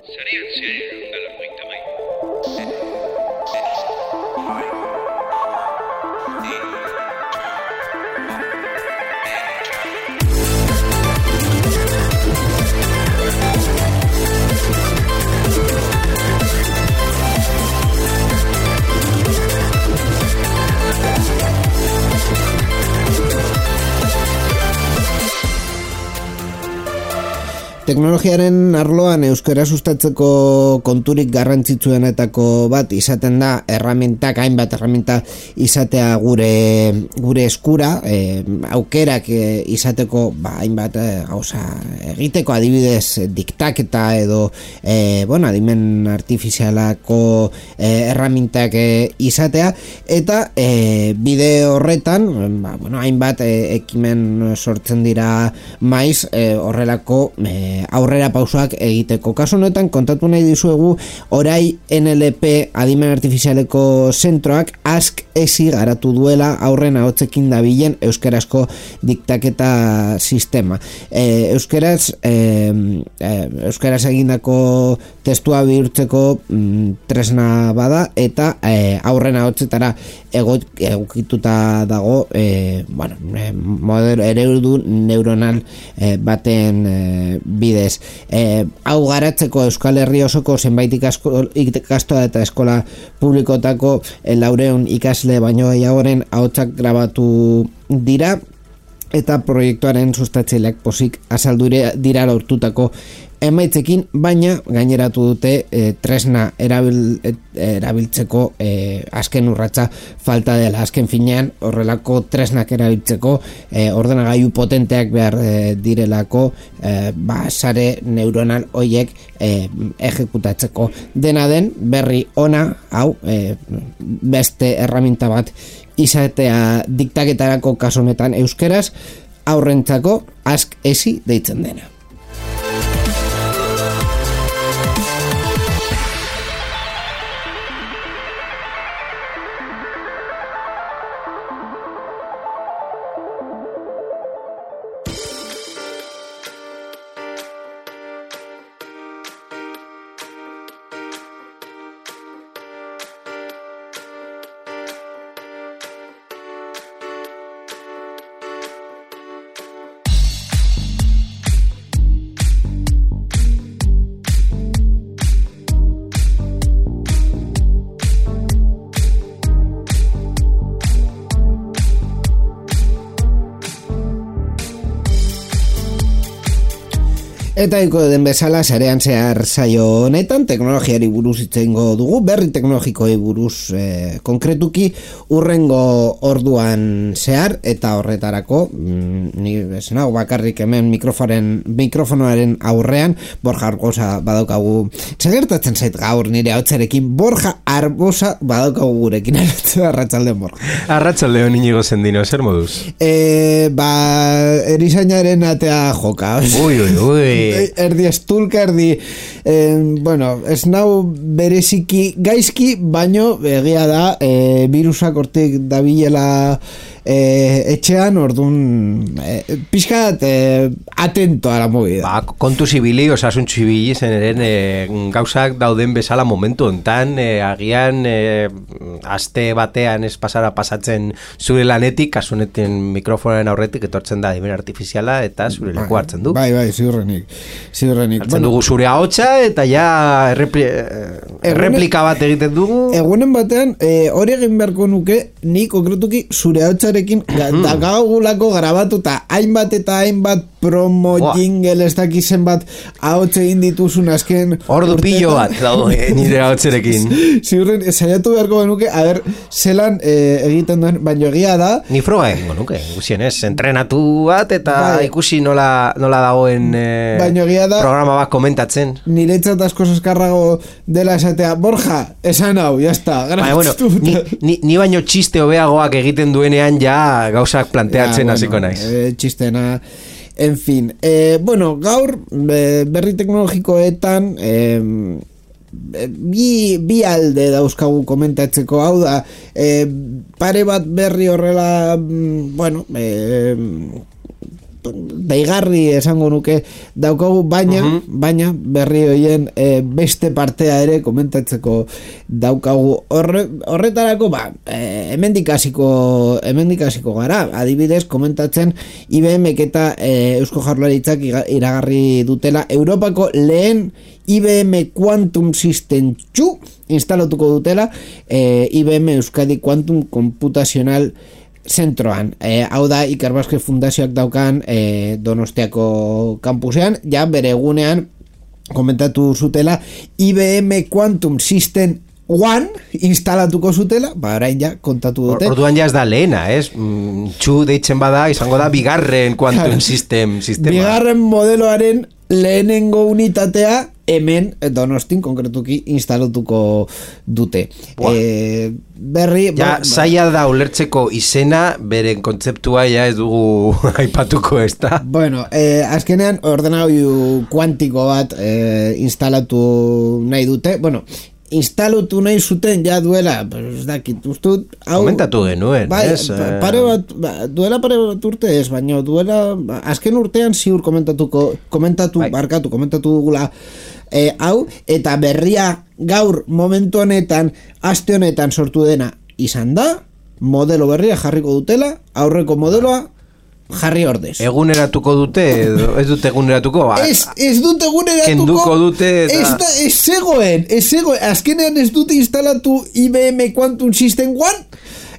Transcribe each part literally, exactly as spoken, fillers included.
Sarean zehar galarroita mairu. Teknologiaren arloan euskara sustatzeko konturik garrantzitsuenetako bat izaten da erramintak, hainbat erraminta izatea gure gure eskura, e, aukerak e, izateko ba, hainbat e, gauza egiteko, adibidez diktaketa edo e, bueno, adimen artifizialako e, erramintak e, izatea, eta e, bide horretan ba, bueno, hainbat e, ekimen sortzen dira maiz e, horrelako e, aurrera pausoak egiteko. Kasu honetan kontatu nahi dizuegu orai N L P adimen artifizialeko zentroak ask esi garatu duela aurren ahotsekin dabilen euskarazko diktaketa sistema. E, euskaraz e, e, euskaraz egindako testua bihurtzeko mm, tresna bada eta e, aurren ahotsetara egokituta dago e, bueno, e, modelo eredu neuronal e, baten e, bidez. E, hau garatzeko Euskal Herri osoko zenbait ikastola eta eskola publikotako e, laureun ikasle baino gehiagoren ahotsak grabatu dira eta proiektuaren sustatzaileak pozik azaldu dira lortutako emaitzekin, baina gaineratu dute e, tresna erabil, e, erabiltzeko e, azken urratsa falta dela. Azken finean horrelako tresnak erabiltzeko e, ordenagailu potenteak behar e, direlako e, ba, sare neuronal hoiek e, ejekutatzeko. Dena den berri ona hau e, beste erraminta bat izatea diktaketarako kasu honetan euskeraz aurrentzako ask esi deitzen dena. Eta iko den bezala sarean zehar saio honetan teknologiari buruz hitz egingo dugu, berri teknologikoei buruz e, konkretuki urrengo orduan zehar, eta horretarako mm, ni esnau bakarrik hemen mikroforen, mikrofonoaren aurrean Borja Arbosa badaukagu. Zagertatzen zait gaur nire hautsarekin Borja Arbosa badaukagu gurekin. Arratsaldeon Borja. Arratsaldeon Inigo Zendino, zer moduz? E, ba, erizainaren atea joka. Ui, ui, ui. Erdi estulka, erdi eh, bueno, ez nau bereziki gaizki, baino egia da eh, virusak hortik dabilela eh, etxean, orduan eh, pixkat eh, atento a la movida. Ba, kontu zibili, osasun zibili zen eren eh, gauzak dauden bezala momentu hontan, eh, agian eh, aste batean ez pasara pasatzen zure lanetik, kasuneten mikrofonen aurretik etortzen da adimen artifiziala eta zure leku hartzen du. Bai, bai, ziurrenik. Ziurrenik. Hartzen bueno, dugu zure ahotsa eta ja errepli, erreplika bat egiten dugu. Egunen batean, e, hori egin beharko nuke, ni konkretuki zure ahotsarekin mm. dagagulako grabatuta hainbat eta hainbat promo wow. jingle ez dakizen bat ahotsa egin dituzun azken ordu pillo bat dago nire ahotsarekin. Ziurren, saiatu beharko nuke, a ber, zelan e, egiten duen, baino egia da. Ni froga egingo nuke, guzien ez, entrenatu bat eta bai. Ikusi nola, nola dagoen e, da, programa bat komentatzen. Niretzat asko eskarrago dela esatea, Borja, esan hau, jazta. Baina, bueno, ni, ni, ni baino txiste hobeagoak egiten duenean ja gauzak planteatzen hasiko ja, bueno, naiz. E, txistena, en fin. E, bueno, gaur berri teknologikoetan e, bi, bi alde dauzkagu komentatzeko, hau da, e, pare bat berri horrela, bueno, e, daigarri esango nuke daukagu, baina, uh-huh. baina berri hoien e, beste partea ere komentatzeko daukagu. Horre, horretarako, ba, e, hemendik hasiko hemendik hasiko gara, adibidez, komentatzen I B M eta e, Eusko Jaurlaritzak iragarri dutela Europako lehen I B M Quantum System two instalatuko dutela e, I B M Euskadi Quantum Computational Zentroan. E, hau da Iker Baske Fundazioak daukan e, Donostiako kampusean, ja bere egunean komentatu zutela I B M Quantum System One instalatuko zutela, ba orain ja kontatu dute. Orduan ja ez da lehena, ez? Mm, txu deitzen bada, izango da bigarren Quantum System sistema. Bigarren modeloaren lehenengo unitatea hemen Donostin konkretuki instalatuko dute. E, berri... Ja, ba, zaila da ulertzeko izena, beren kontzeptua ja ez dugu aipatuko ez da. Bueno, eh, azkenean ordenagailu kuantiko bat eh, instalatu nahi dute. Bueno, instalatu nahi zuten ja duela, ez dakit, ustut hau... Komentatu genuen, bai, ez? Pare bat, ba, duela pare bat urte ez, baina duela, ba, azken urtean ziur komentatuko, komentatu, bai. barkatu, komentatu dugula e, hau, eta berria gaur momentu honetan, aste honetan sortu dena izan da, modelo berria jarriko dutela, aurreko modeloa jarri ordez. Eguneratuko dute, edo ez dute eguneratuko? Ez, ez dute eguneratuko. Kenduko dute eta... Ez, da, ez zegoen, ez zegoen. Azkenean ez dute instalatu I B M Quantum System One,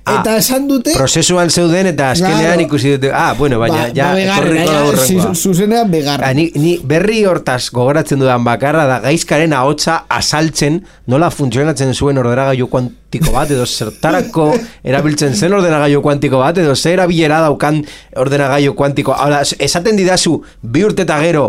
eta esan dute... Prozesuan zeuden eta azkenean claro. ikusi dute... Ah, bueno, baina, ba, ja, etorriko da horrengoa. Zuzenean begarra. Ni, ni berri hortaz gogoratzen dudan bakarra da gaizkaren ahotsa azaltzen nola funtzionatzen zuen ordenagailu kuantiko bat, edo zertarako erabiltzen zen ordenagailu kuantiko bat, edo zer erabilera daukan ordenagailu kuantiko. Ahora, esaten didazu, bi urte eta gero,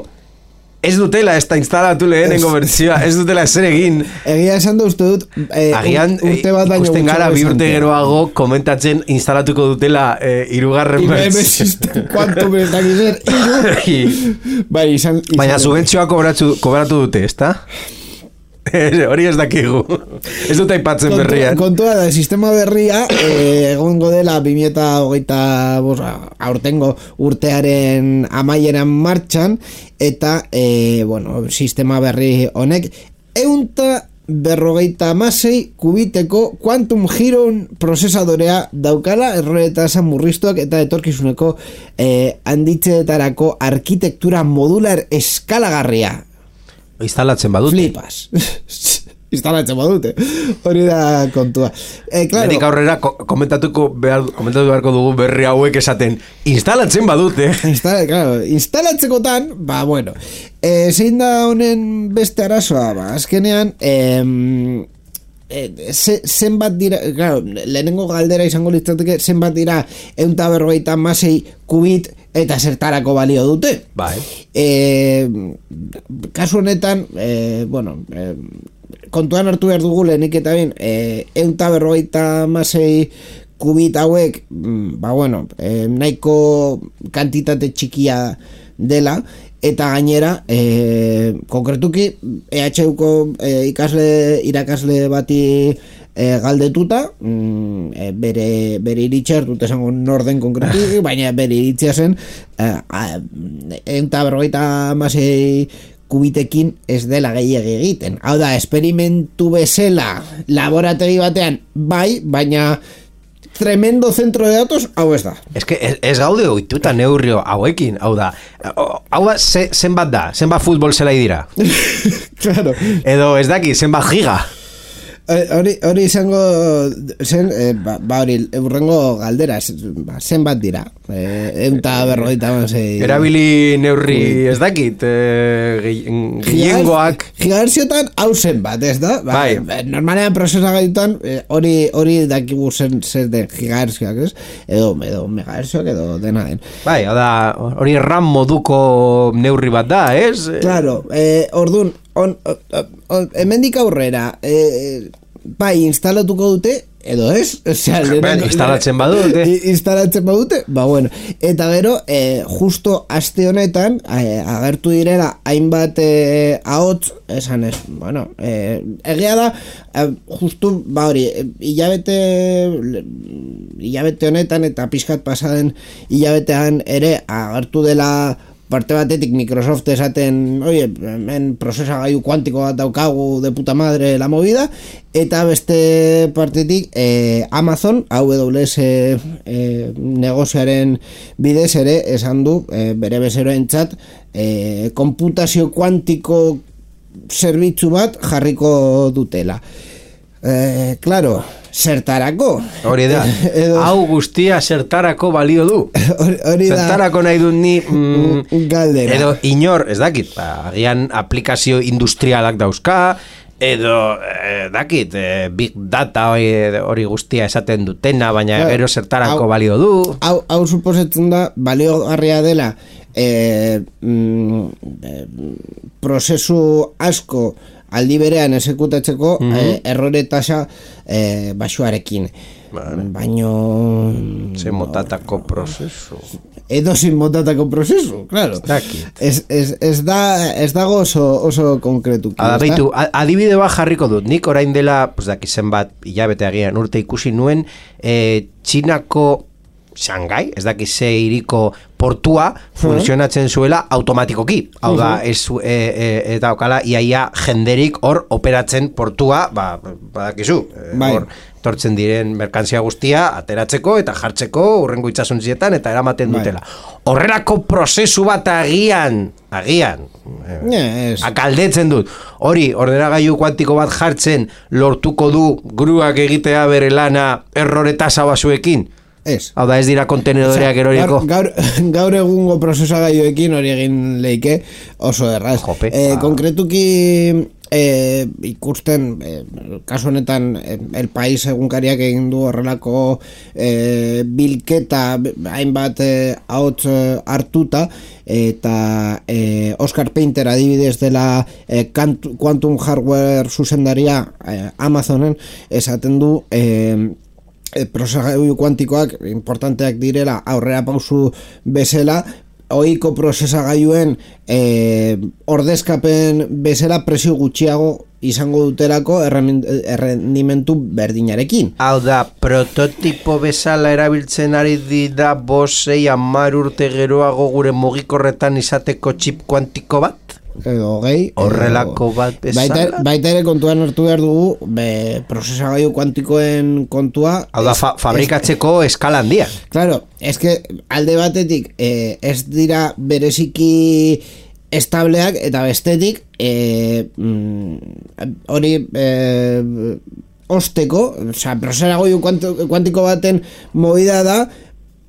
ez dutela ez da instalatu lehenengo bertsioa, ez dutela ezer egin. Egia esan da uste dut, eh, agian, urte bat baino ikusten gara bi urte geroago komentatzen instalatuko dutela eh, irugarren bertsioa. Quantum ez dakizer, iru. Bai, izan, izan baina subentzioa kobratu, kobratu dute, ez da? Hori ez dakigu. Ez dut aipatzen Kontu, berrian. Kontua da, sistema berria eh, egongo dela bi mila hogeita aurtengo urtearen amaieran martxan, eta eh, bueno, sistema berri honek eunta berrogeita amasei kubiteko Quantum Heron prozesadorea daukala, erroreta esan murriztuak eta etorkizuneko eh, handitzeetarako arkitektura modular eskalagarria. Instalatzen badute. Flipas. Instalatzen badute. Hori da kontua. Eh, claro. Lehenik aurrera komentatuko behar, komentatu beharko dugu berri hauek esaten instalatzen badute. Instala, claro, instalatzekotan, ba, bueno, eh, zein da honen beste arazoa, ba, azkenean, eh, eh, ze, zenbat dira, claro, lehenengo galdera izango litzateke, zenbat dira eunta berrogeita masei kubit eta zertarako balio dute. Bai. Eh, kasu honetan, eh, bueno, eh, kontuan hartu behar dugu lehenik eta bin, eh, eunta berrogeita masei kubit hauek, ba bueno, eh, nahiko kantitate txikia dela, eta gainera, eh, konkretuki, E H Uko eh, ikasle, irakasle bati E, galdetuta, mm, e, bere, bere iritxer, dut esango norden konkretu, baina bere iritzia zen, eta berrogeita amasei kubitekin ez dela gehiagi egiten. Hau da, esperimentu bezala laborategi batean, bai, baina tremendo centro de datos, hau ez da. Ez que ez, ez gaude oituta neurrio hauekin, hau da. Hau da, ze, zenbat da, zenbat futbol zelai dira. Claro. Edo ez daki, zenbat giga. Hori hori izango zen, eh, ba, ba hori urrengo galdera, ba, zenbat dira, eh, eunta berrogeita amasei. Erabili neurri ez dakit, eh, gehiengoak. Gigahertziotan hau zenbat, ez da? Ba, bai. Normalean prozesagailutan hori eh, hori dakigu zen zer den gigahertzioak, ez? Edo, edo megahertzioak edo dena den. Bai, da, hori RAM moduko neurri bat da, ez? Claro, eh, ordun on, on, on, hemendik aurrera, eh, bai, instalatuko dute edo ez, osea, ben, instalatzen badute. Instalatzen badute, ba bueno. Eta gero, eh, justo aste honetan, eh, agertu direla hainbat eh, ahots, esan ez, bueno, eh, egia da, eh, justu, ba hori, hilabete, hilabete honetan eta pixkat pasaden hilabetean ere agertu dela parte batetik Microsoft esaten, oye, hemen prozesagailu kuantiko bat daukagu de puta madre la movida, eta beste partetik eh, Amazon, A W S eh, negozioaren bidez ere esan du eh, bere bezeroentzat eh, konputazio kuantiko zerbitzu bat jarriko dutela. Eh, claro, zertarako. Hori da, edo, hau guztia zertarako balio du. Hori da. Zertarako nahi dut ni mm, galdera. Edo inor, ez dakit, ba, agian aplikazio industrialak dauzka, edo eh, dakit, eh, big data hori, hori guztia esaten dutena, baina claro, gero zertarako hau, balio du. Hau, hau suposetzen da, baliogarria dela, eh, mm, eh, prozesu asko aldi berean exekutatzeko mm-hmm. eh, errore tasa eh, baxuarekin. Vale. Baino... Ze motatako prozesu. Edo zin motatako prozesu, claro. Ez, ez, ez, da, ez dago oso, oso konkretu. Adabeitu, adibide bat jarriko dut. Nik orain dela, pues daki zenbat hilabete agian urte ikusi nuen, eh, Txinako Shanghai, ez daki ze iriko portua funtzionatzen zuela automatikoki. Hau da, ez e, e, eta okala iaia jenderik hor operatzen portua, ba, badakizu, bai. Hor tortzen diren merkantzia guztia ateratzeko eta jartzeko urrengo itsasuntzietan eta eramaten dutela. Horrelako prozesu bat agian, agian, yes. Akaldetzen dut. Hori, ordenagailu kuantiko bat jartzen lortuko du gruak egitea bere lana errore tasa basuekin. Ez. Hau da, ez dira kontenedoreak eroriko. Gaur, gaur, gaur egungo prozesagailuekin hori egin leike oso erraz. Jope, eh, ah. Konkretuki eh, ikusten, eh, kasu honetan eh, El País egunkariak egin du horrelako eh, bilketa hainbat eh, ahots eh, hartuta, eta eh, Oscar Painter adibidez dela eh, Quantum Hardware zuzendaria eh, Amazonen esaten du eh, prozesagailu kuantikoak importanteak direla aurrera pausu bezala, ohiko prozesagailuen eh, ordezkapen bezala presio gutxiago izango dutelako errendimentu berdinarekin. Hau da, prototipo bezala erabiltzen ari dira bosei hamar urte geroago gure mugikorretan izateko txip kuantiko bat? Edo gehi horrelako bat bezala baita, baita ere kontuan hartu behar dugu be, prozesagailu kuantikoen kontua hau da, fa, fabrikatzeko es, eskala handia. Claro, eske alde batetik eh, ez dira bereziki estableak eta bestetik eh, mm, hori eh, osteko, osea, prozesagailu kuantiko baten movida da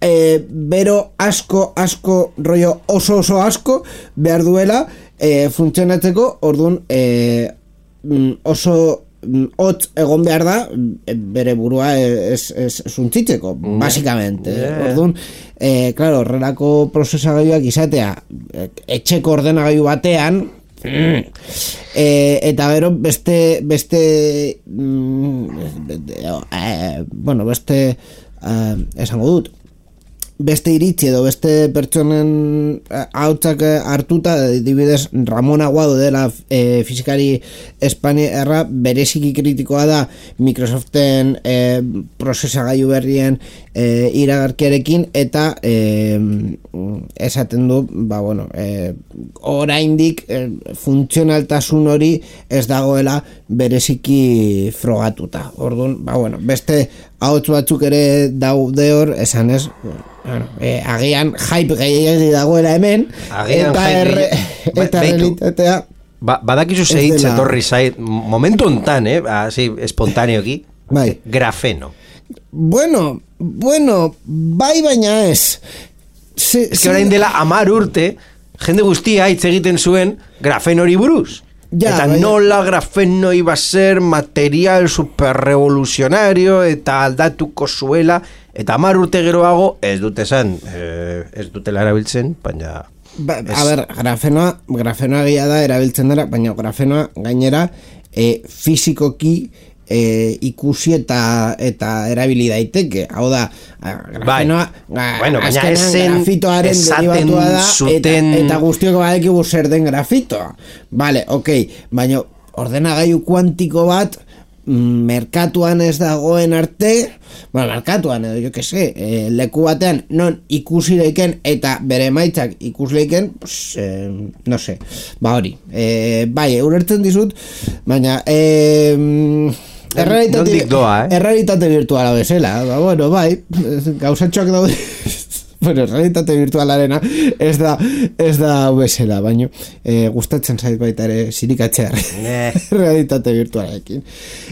eh, bero asko asko rollo oso oso asko behar duela E, funtzionatzeko, orduan e, oso hotz egon behar da bere burua ez, ez zuntzitzeko, mm. basikamente. Yeah. Orduan, e, claro, horrelako prozesagailuak izatea etxeko ordenagailu batean mm. e, eta gero beste beste mm, e, bueno, beste uh, esango dut beste iritzi edo beste pertsonen hautsak hartuta, adibidez Ramon Aguado dela e, fizikari espainiarra bereziki kritikoa da Microsoften e, prozesagailu berrien e, iragarkiarekin eta e, esaten du, ba bueno, e, oraindik e, funtzionaltasun hori ez dagoela bereziki frogatuta. Orduan, ba bueno, beste ahots batzuk ere daude hor, esan ez, bueno, eh, agian hype gehiagi dagoela hemen, agian eta erre, eta realitatea ba, badakizu zehitz etorri zait momentu ontan, eh, así espontaneoki, bai. Grafeno. Bueno, bueno, bai baina ez. Ez que orain dela hamar urte, jende guztia hitz egiten zuen grafenori buruz. Ya, eta vaya. Nola grafeno iba a ser material superrevolucionario eta aldatuko zuela, eta hamar urte geroago ez dute esan, eh, ez dutela erabiltzen, baina... Ba, a ber, grafenoa, grafenoa gila da erabiltzen dara, baina grafenoa gainera eh, fizikoki e, ikusi eta eta erabili daiteke. Hau da, grafenoa, bai. Bueno, azkenean grafitoaren derivatua da, zuten... eta, eta guztioko badekigu zer den grafitoa. Vale, ok, baina ordenagailu kuantiko bat merkatuan ez dagoen arte, bueno, merkatuan edo, jo que se, eh, leku batean non ikusi leiken eta bere emaitzak ikus leiken, pues, eh, no se, ba hori, eh, bai, eurertzen dizut, baina, eh, errealitate, doa, eh? errealitate virtuala bezala, ba, bueno, bai, gauzatxoak daude, bueno, realitate virtualarena ez da ez da bezala, baino eh, gustatzen zait baita ere sirikatzea realitate virtualarekin.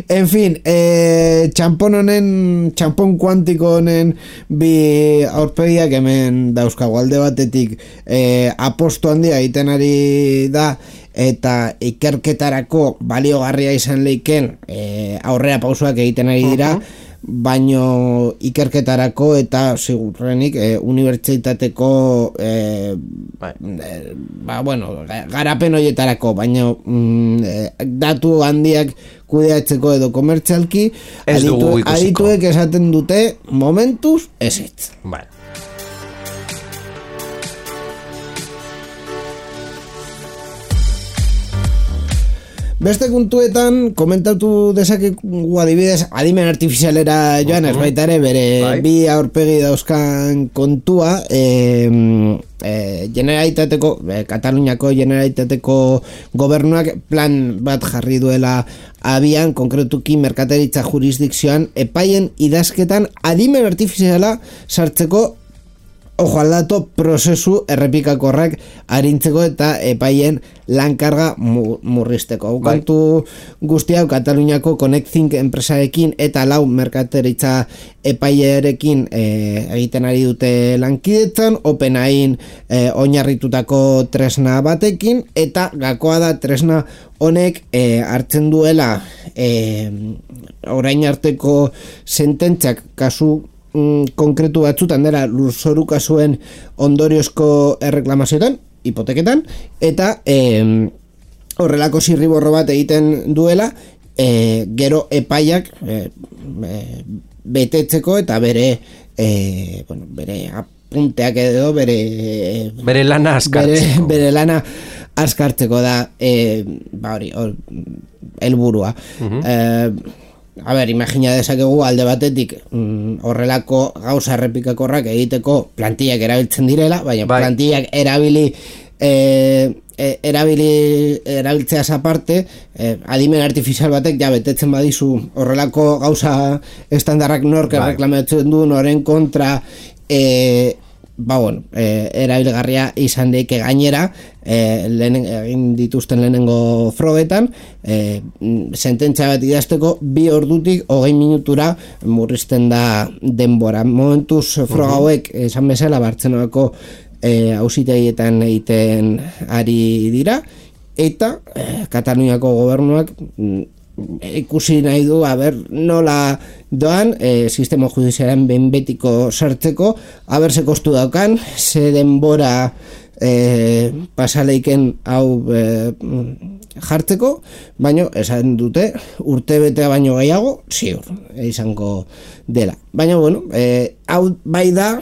En fin, eh, txampon honen, txampon kuantiko honen bi aurpegiak hemen dauzkago. Alde batetik eh, aposto handia egiten ari da eta ikerketarako baliogarria izan leiken eh, aurrera pausoak egiten ari dira, uh-huh. baino ikerketarako eta segurrenik eh, unibertsitateko eh, eh, ba, bueno, garapen horietarako, baino mm, eh, datu handiak kudeatzeko edo komertzialki aditu, adituek esaten dute momentuz ezetz. Vale. Beste kontuetan komentatu dezakegu adibidez adimen artifizialera joan ez baita ere bere bai. Bi aurpegi dauzkan kontua e, e, Generalitateko e, Kataluniako Generalitateko gobernuak plan bat jarri duela abian, konkretuki merkataritza jurisdikzioan epaien idazketan adimen artifiziala sartzeko ojo aldato prozesu errepikakorrak arintzeko eta epaien lankarga murrizteko. Kantu guzti hau Kataluniako Connecting enpresarekin eta lau merkataritza epaierekin e, egiten ari dute lankidetzan, OpenAIn e, oinarritutako tresna batekin, eta gakoa da tresna honek e, hartzen duela e, orain arteko sententziak kasu konkretu batzutan dela lurzoru kasuen ondoriozko erreklamazioetan, hipoteketan, eta e, horrelako zirriborro bat egiten duela e, gero epaiak e, e, betetzeko eta bere e, bueno, bere apunteak edo bere bere lana askartzeko bere, bere lana askartzeko da e, ba hori helburua. uh-huh. e, A ber, imagina dezakegu alde batetik mm, horrelako gauza errepikakorrak egiteko plantillak erabiltzen direla, baina bai. plantillak erabili e, e, erabili erabiltzeaz aparte e, adimen artifizial batek ja betetzen badizu horrelako gauza estandarrak nork bai. erreklamatzen du noren kontra e, ba bueno, e, erabilgarria izan daike gainera e, lehen, egin dituzten lehenengo frogetan e, sententzia bat idazteko bi ordutik hogei minutura murrizten da denbora. Momentuz froga hauek esan bezala Bartzelonako e, auzitegietan egiten ari dira eta e, Kataluniako gobernuak ikusi nahi du, a ber, nola doan e, sistema judiziaren behin betiko sartzeko, a ber, ze kostu daukan, ze denbora e, pasaleiken hau e, jartzeko, baino esan dute urte betea baino gehiago, ziur, izango dela. Baina, bueno, e, hau bai da,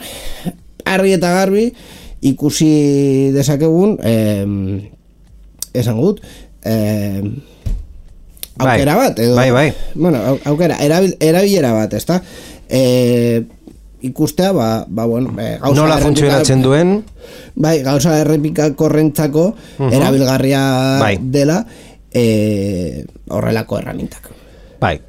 argi eta garbi, ikusi dezakegun, e, esan gut, e, aukera bat edo, bai, bai. bueno, aukera, erabil, erabilera bat, ezta? E, ikustea, ba, ba bueno, e, gauza nola funtzionatzen duen? Bai, gauza errepikakorrentzako uh-huh. erabilgarria bai. dela e, horrelako erramintak. Bai.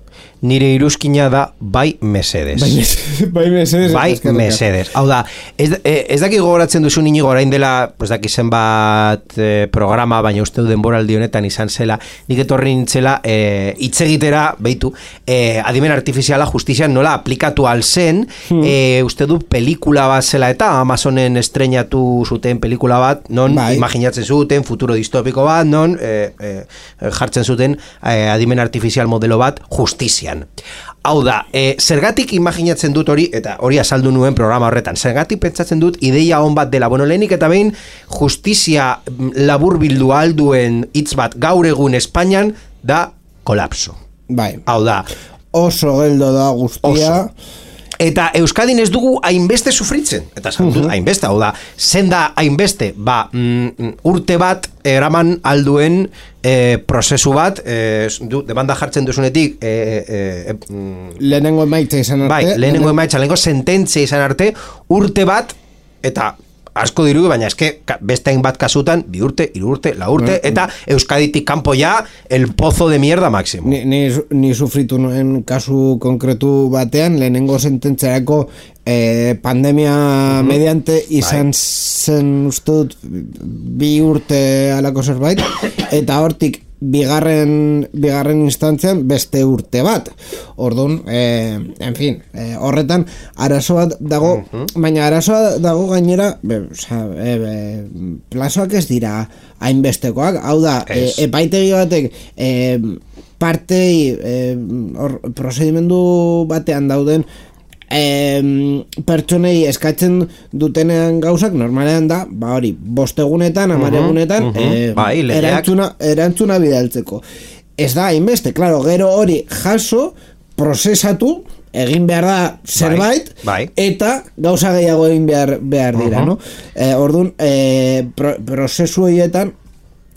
Nire iruzkina da bai mesedes. Bai mesedes. Bai mesedes. Bai mesedes. Hau da, ez, ez daki gogoratzen duzu Inigo orain dela, pues daki zenbat eh, programa, baina uste du denboraldi honetan izan zela, nik etorri nintzela eh, itzegitera, beitu, eh, adimen artifiziala justizian nola aplikatu alzen, hmm. eh, uste du pelikula bat zela eta Amazonen estreinatu zuten pelikula bat, non bai. imaginatzen zuten, futuro distopiko bat, non eh, eh, jartzen zuten eh, adimen artifizial modelo bat justizia. Hau da, e, zergatik imaginatzen dut hori, eta hori azaldu nuen programa horretan, zergatik pentsatzen dut ideia on bat dela, bueno, lehenik eta behin justizia labur bildu alduen hitz bat gaur egun Espainian da kolapso. Bai. Hau da, oso geldo da guztia. Oso. Eta Euskadin ez dugu hainbeste sufritzen. Eta esan dut, hainbeste, hau da, zen da hainbeste, ba, mm, urte bat eraman alduen e, prozesu bat, e, du, demanda jartzen duzunetik, e, e, e, mm, lehenengo emaitza izan arte. Bai, lehenengo emaitza, lehenengo sententzia izan arte, urte bat, eta asko diru, baina eske beste hainbat kasutan, bi urte, hiru urte, lau urte, eta Euskaditik kanpo ja el pozo de mierda máximo. Ni, ni, ni sufritu nuen kasu konkretu batean, lehenengo sententzerako eh, pandemia mm-hmm. mediante izan bai. Zen uste dut bi urte alako zerbait, eta hortik bigarren bigarren instantzian beste urte bat. Orduan, eh, en fin, eh, horretan arazo bat dago, uh-huh. baina arazoa dago gainera, be, oza, e, e, plazoak ez dira hainbestekoak, hau da, e, epaitegi batek e, partei e, or, prozedimendu batean dauden E, pertsonei eskatzen dutenean gauzak normalean da, ba hori, bostegunetan, amaregunetan uh-huh, uh-huh. e, bai, erantzuna, erantzuna bidaltzeko. Ez da, hainbeste, klaro, gero hori jaso, prozesatu, egin behar da zerbait, bai, bai. eta gauza gehiago egin behar, behar dira, uh-huh. no? E, orduan, e, pro, prozesu horietan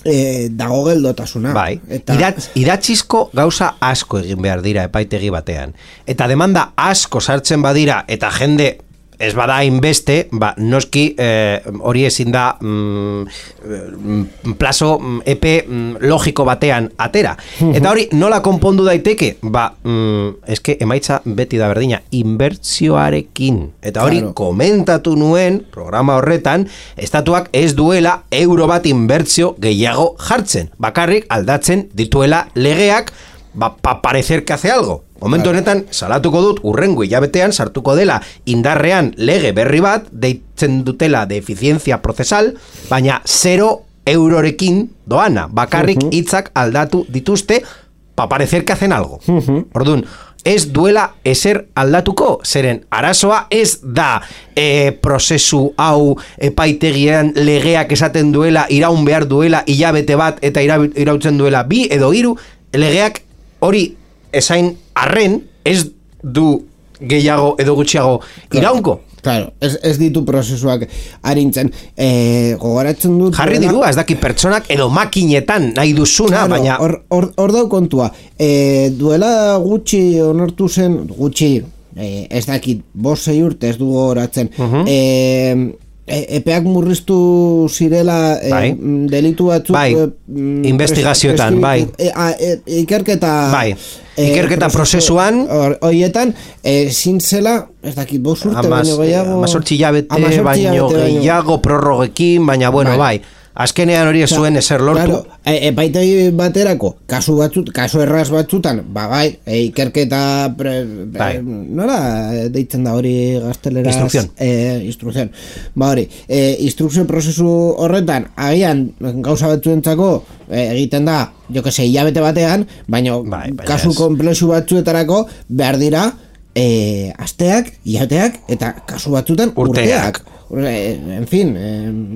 E, dago geldotasuna. Bai, eta Idatz, idatzizko gauza asko egin behar dira epaitegi batean. Eta demanda asko sartzen badira, eta jende ez bada hainbeste, ba, noski eh, hori ezin da mm, plazo mm, epe mm, logiko batean atera. Eta hori nola konpondu daiteke? Ba, mm, eske emaitza beti da berdina, inbertsioarekin. Eta hori claro. Komentatu nuen programa horretan, estatuak ez duela euro bat inbertsio gehiago jartzen. Bakarrik aldatzen dituela legeak, ba, pa parecer que hace algo. Momentu honetan, salatuko dut, urrengo hilabetean sartuko dela indarrean lege berri bat, deitzen dutela de efizientzia prozesal, baina zero eurorekin doana, bakarrik hitzak aldatu dituzte, pa parecer que hacen algo. Orduan, ez duela ezer aldatuko, zeren arazoa ez da e, prozesu hau epaitegian legeak esaten duela, iraun behar duela hilabete bat eta ira, irautzen duela bi edo hiru, legeak hori esain arren ez du gehiago edo gutxiago iraunko. Claro, ez, ez ditu prozesuak arintzen. E, gogoratzen dut... Jarri dirua, ez daki pertsonak edo makinetan nahi duzuna, claro, baina... Hor, hor, hor dau kontua. E, duela gutxi onartu zen, gutxi, e, ez dakit, bost sei urte ez du gogoratzen. Uh-huh. E, e, epeak murriztu zirela e, bai. Delitu batzuk... Bai, e, investigazioetan, bai. E, a, e, ikerketa... Bai. Ikerketa e, prozesuan horietan e, zintzela ez dakit bost urte baino gehiago amazortzi hilabete baino gehiago prorrogekin, baina bueno, bai, bai. Azkenean hori ez zuen ezer lortu. Claro, e, epaitegi baterako kasu batzut, kasu erraz batzutan, ba bai, e, ikerketa pre, bai. E, nola deitzen da hori gazteleraz? Instrukzion. E, instrukzion. Ba hori, e, instrukzio prozesu horretan, agian gauza batzuentzako e, egiten da, jo que se, hilabete batean, baina bai, kasu komplexu batzuetarako behar dira e, asteak, hilabeteak, eta kasu batzutan urteak. urteak. En fin,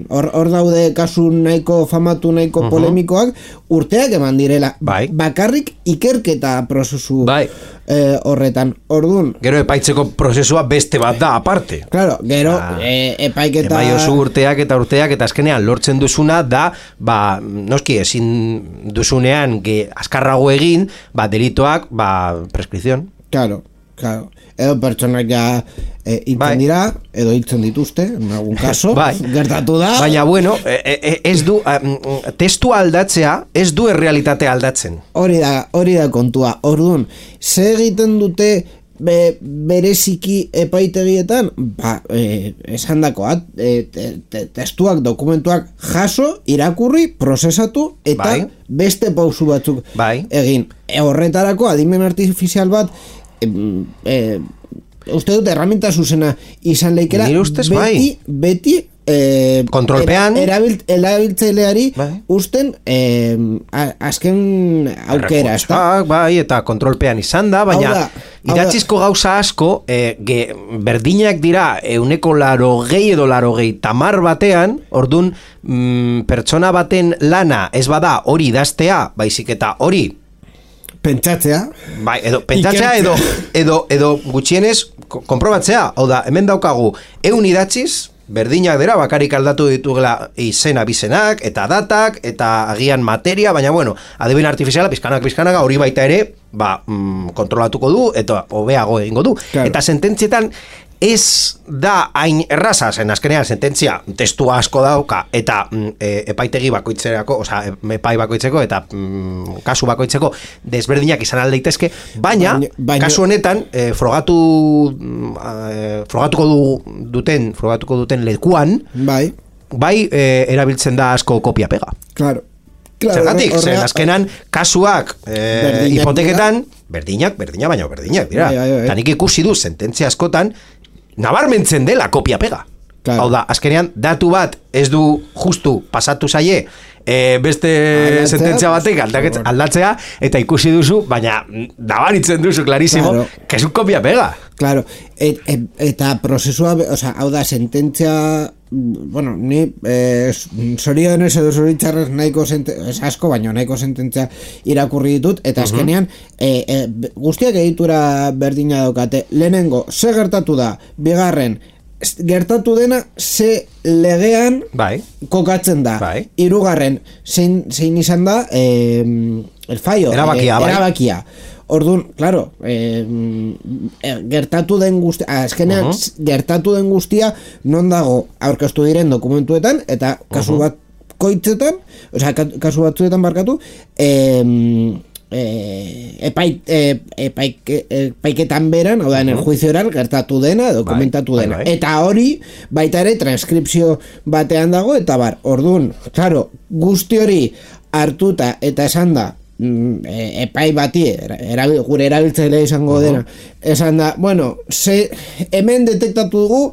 hor eh, daude kasu nahiko famatu, nahiko uh-huh. polemikoak, urteak eman direla. Bai. Bakarrik ikerketa prozesu bai. eh, horretan. Ordun. Gero epaitzeko prozesua beste bat da, aparte. Claro, gero ah, eh, epaiketa... Epai oso urteak eta urteak eta azkenean lortzen duzuna da, ba, noski ezin duzunean ge, azkarrago egin, ba, delitoak, ba, preskripzion. Claro, claro. Edo pertsonak ja e, hiltzen bai. dira, edo hiltzen dituzte, en algún caso, bai. gertatu da. Baina, bueno, e, ez du, um, testu aldatzea, ez du errealitatea aldatzen. Hori da, hori da kontua. Orduan, ze egiten dute be, bereziki epaitegietan? Ba, e, esan dakoat, e, te, te, testuak, dokumentuak jaso, irakurri, prozesatu, eta bai. beste pausu batzuk bai. egin. E, horretarako, adimen artifizial bat, Eh, uste dut erraminta zuzena izan leikera ustez, beti, bai. beti eh, kontrolpean erabilt, erabiltzaileari bai. usten eh, azken aukera ezta? Bai, eta kontrolpean izan da, baina idatzizko gauza asko eh, ge, berdinak dira euneko laro gehi edo laro gehi tamar batean, ordun mm, pertsona baten lana ez bada hori idaztea, baizik eta hori pentsatzea. Bai, edo pentsatzea edo, edo, edo gutxienez konprobatzea. Hau da, hemen daukagu eun idatziz, berdinak dira, bakarik aldatu ditugela izena bizenak, eta datak, eta agian materia, baina bueno, adimen artifiziala, pizkanak, pizkanak, hori baita ere, ba, mm, kontrolatuko du, eta hobeago egingo du. Claro. Eta sententzietan, ez da hain erraza, zen azkenean sententzia testu asko dauka, eta mm, e, epaitegi bakoitzerako, oza, epai bakoitzeko, eta mm, kasu bakoitzeko desberdinak izan aldeitezke, baina, baina, baina kasu honetan, e, frogatu, e, frogatuko du, duten, frogatuko duten lekuan, bai, bai e, erabiltzen da asko kopia-pega. Claro. Claro, zergatik, zen azkenan kasuak e, hipoteketan, berdinak, berdina baina berdinak, dira. Bai, bai, bai. Tanik ikusi du sententzia askotan, nabarmentzen dela kopia-pega. Claro. Hau da, azkenean, datu bat ez du justu pasatu zaie e, beste aldatzea, sententzia batek aldaket, aldatzea, eta ikusi duzu, baina nabaritzen duzu, klarisimo, claro, que es un kopia-pega. Claro, et, et, eta prozesua, o sea, hau da, sententzia, bueno, ni eh, zorionez edo zoritxarrez nahiko sententzia, asko, baina nahiko sententzia irakurri ditut, eta azkenean, uh-huh. e, e, guztiak egitura berdina daukate, lehenengo, ze gertatu da, bigarren, gertatu dena ze legean bai. Kokatzen da. Bai. Hirugarren zein, zein izan da eh, el fallo, erabakia, eh, erabakia. Orduan, claro, eh, gertatu den guztia, azkenean uh-huh. gertatu den guztia non dago aurkeztu diren dokumentuetan eta kasu uh-huh. bat koitzetan, osea kasu batzuetan barkatu, eh, Eh, epai, eh, epaik, epaiketan beran, hau da, en el juicio oral gertatu dena, dokumentatu dena. Bai, bai, bai. Eta hori, baita ere, transkripzio batean dago, eta bar, orduan, claro, guzti hori hartuta eta esan da, mm, epai bati, erabil, gure erabiltzaile izango uh-huh. dena, esan da, bueno, ze, hemen detektatu dugu,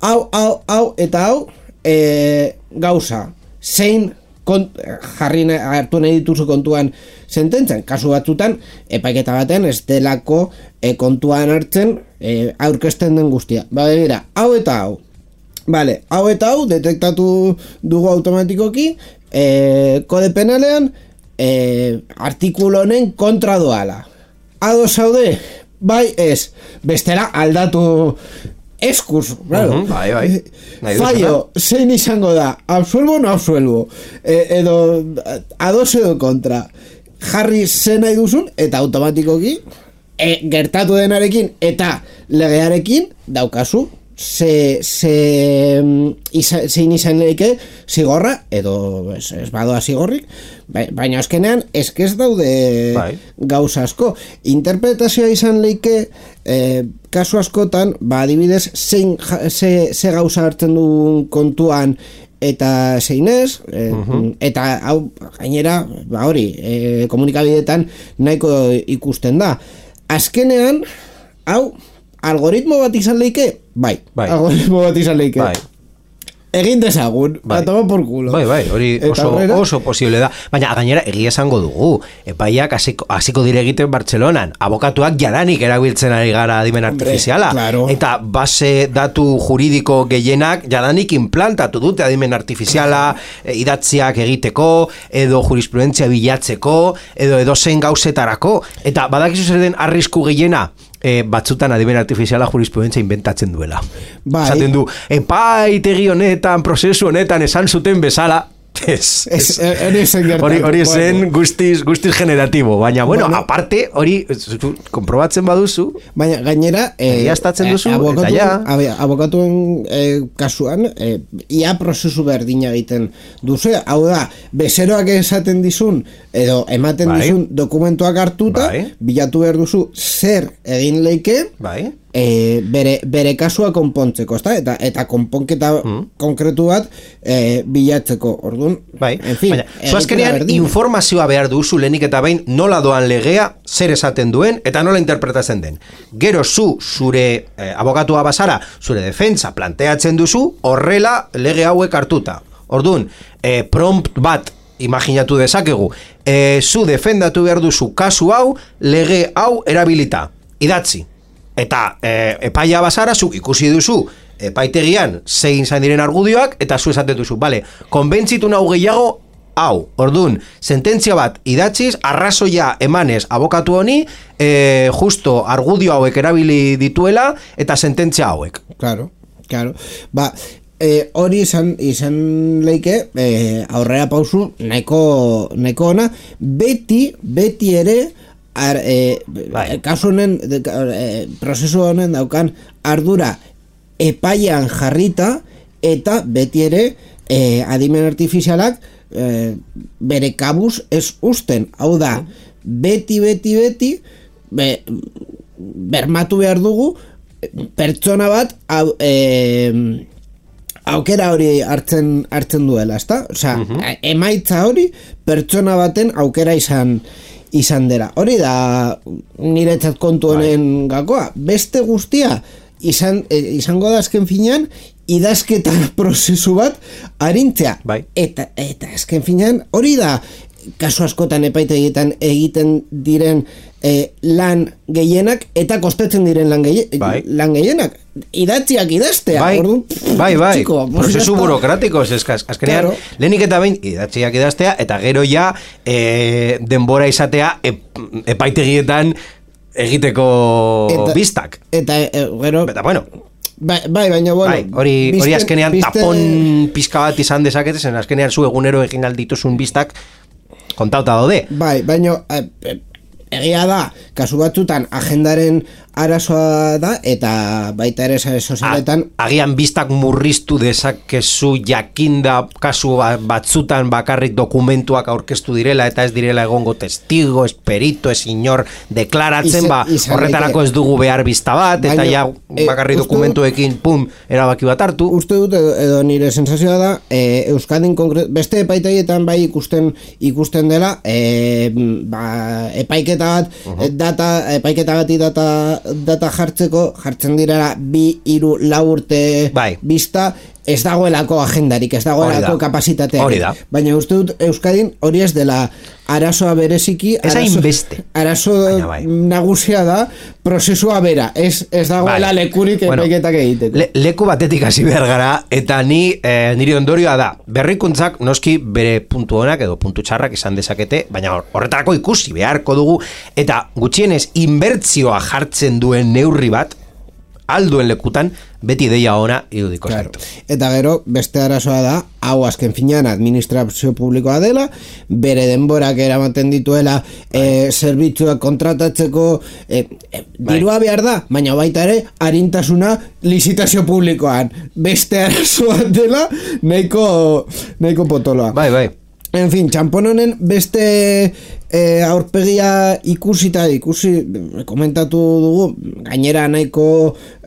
hau, hau, hau, eta hau, eh, gauza, zein, Kont, jarri hartu nahi dituzu kontuan sententzan, kasu batzutan epaiketa batean ez delako e, kontuan hartzen e, aurkezten den guztia. Ba, begira, hau eta hau. Vale, hau eta hau detektatu dugu automatikoki e, kode penalean e, artikulu honen kontra doala. Ado zaude? Bai ez. Bestela aldatu eskuz, claro. Uh-huh, bai, bai. Fallo, zein izango da, absuelvo o no absuelvo, e, edo ados edo kontra, jarri zen nahi duzun, eta automatikoki, e, gertatu denarekin, eta legearekin, daukazu, ze, ze, isa, zein izan leike, zigorra, edo ez, ez badoa zigorrik, baina azkenean, eskez daude bai. Gauza asko. Interpretazioa izan leike, eh, kasu askotan, ba, adibidez, zein, ze, ze gauza hartzen duen kontuan, eta zein ez, eh, uh-huh. eta hau, gainera, ba hori, eh, komunikabideetan nahiko ikusten da. Azkenean, hau, algoritmo bat izan leike? Bai, bai. Algoritmo bat izan leike. Bai. Egin dezagun, bai. Atoma por culo. Bai, bai, hori oso, oso posible da. Baina gainera egia esango dugu. Epaiak hasiko, hasiko dire egiten Bartzelonan. Abokatuak jadanik erabiltzen ari gara adimen artifiziala. Claro. Eta base datu juridiko gehienak jadanik implantatu dute adimen artifiziala, e, idatziak egiteko, edo jurisprudentzia bilatzeko, edo edo zein gauzetarako. Eta badakizu zer den arrisku gehiena, E, batzutan adimen artifiziala jurisprudentzia inventatzen duela. Bai. Zaten du, epaitegi honetan, prozesu honetan, esan zuten bezala, ez, ez, hori, hori zen guztiz, guztiz generatibo, baina, bueno, bueno aparte, hori, komprobatzen baduzu, baina gainera, eh, egiaztatzen duzu, eh, abokatu, eta ja. Abokatuen eh, kasuan, eh, ia prozesu berdina egiten duzu, hau da, bezeroak esaten dizun, edo ematen bai. Dizun dokumentuak hartuta, bai. Bilatu behar duzu, zer egin leike, bai. E, bere, bere kasua konpontzeko, ezta? Eta, eta konponketa mm. konkretu bat e, bilatzeko, orduan, bai. En fin, baina, zuazkenean informazioa behar duzu lehenik eta behin nola doan legea, zer esaten duen, eta nola interpretatzen den. Gero zu, zure eh, abogatua bazara, zure defentsa planteatzen duzu, horrela lege hauek hartuta. Orduan, eh, prompt bat imaginatu dezakegu, eh, zu defendatu behar duzu kasu hau, lege hau erabilita, idatzi. Eta e, epaia bazara, zu ikusi duzu epaitegian zein zain diren argudioak, eta zu esaten duzu, bale, konbentzitu nahu gehiago hau. Ordun, sententzia bat idatziz, arrazoia emanez abokatu honi, e, justo argudio hauek erabili dituela, eta sententzia hauek. Claro, claro. Ba, e, hori izan, izan leike, e, aurrera pausu, nahiko, nahiko ona, beti, beti ere, Ar, e, kasu honen e, prozesu honen daukan ardura epaian jarrita eta beti ere e, adimen artifizialak e, bere kabuz ez usten, hau da beti beti beti be, bermatu behar dugu pertsona bat hau, e, aukera hori hartzen hartzen duela, ezta? Osea, uh-huh. emaitza hori pertsona baten aukera izan izan dela. Hori da niretzat kontu honen gakoa. Beste guztia izan, e, izango da azken finean idazketa prozesu bat arintzea. Bai. Eta, eta azken finean hori da kasu askotan epaitegietan egiten diren e, lan gehienak eta kostetzen diren lan, gehi, bai. lan gehienak. Idatziak idaztea. Bai, Ordu, bai, bai. Txiko, prozesu burokratiko, eskaz, azkenean, claro. Lehenik eta behin idatziak idaztea, eta gero ja e, denbora izatea ep, epaitegietan egiteko eta, bistak. Eta e, gero... Eta bueno... Bai, bai, baina bueno, bai, hori, biste, hori azkenean biste... tapon pizka bat izan dezakete, zen azkenean zu egunero egin aldituzun bistak kontauta daude. Bai, baina e, e, egia da, kasu batzutan agendaren arazoa da, eta baita ere sare sozialetan agian bistak murriztu dezakezu jakinda kasu batzutan bakarrik dokumentuak aurkeztu direla eta ez direla egongo testigo, esperito, ez inor deklaratzen, ba, horretarako ez dugu behar bista bat, eta ja bakarrik e, dokumentuekin, pum, erabaki bat hartu. Uste dut, edo, edo nire sensazioa da, e, Euskadin konkret, beste epaitegietan bai ikusten ikusten dela, e, ba, epaiketa bat, uh-huh. data, epaiketa bati data data jartzeko, jartzen direla bi, hiru, lau urte bai. Bista, ez dagoelako agendarik, ez dagoelako kapasitateak. Baina uste dut Euskadin hori ez dela arazoa bereziki, arazo, arazo bai. Nagusia da prozesua bera, ez, ez dagoela bai. Lekurik bueno, epaiketak egiteko. Le, leku batetik hasi behar gara, eta ni eh, niri ondorioa da, berrikuntzak noski bere puntu honak edo puntu txarrak izan dezakete, baina horretarako ikusi beharko dugu, eta gutxienez inbertzioa jartzen duen neurri bat, alduen lekutan, beti deia ona irudiko claro. Eta gero, beste arazoa da, hau azken finean administrazio publikoa dela, bere denborak eramaten dituela e, zerbitzuak kontratatzeko e, e, dirua behar da, baina baita ere arintasuna lizitazio publikoan. Beste arazoa dela, nahiko, nahiko potoloa. Bai, bai. En fin, txampon honen beste e, aurpegia ikusita, ikusi, komentatu dugu, gainera nahiko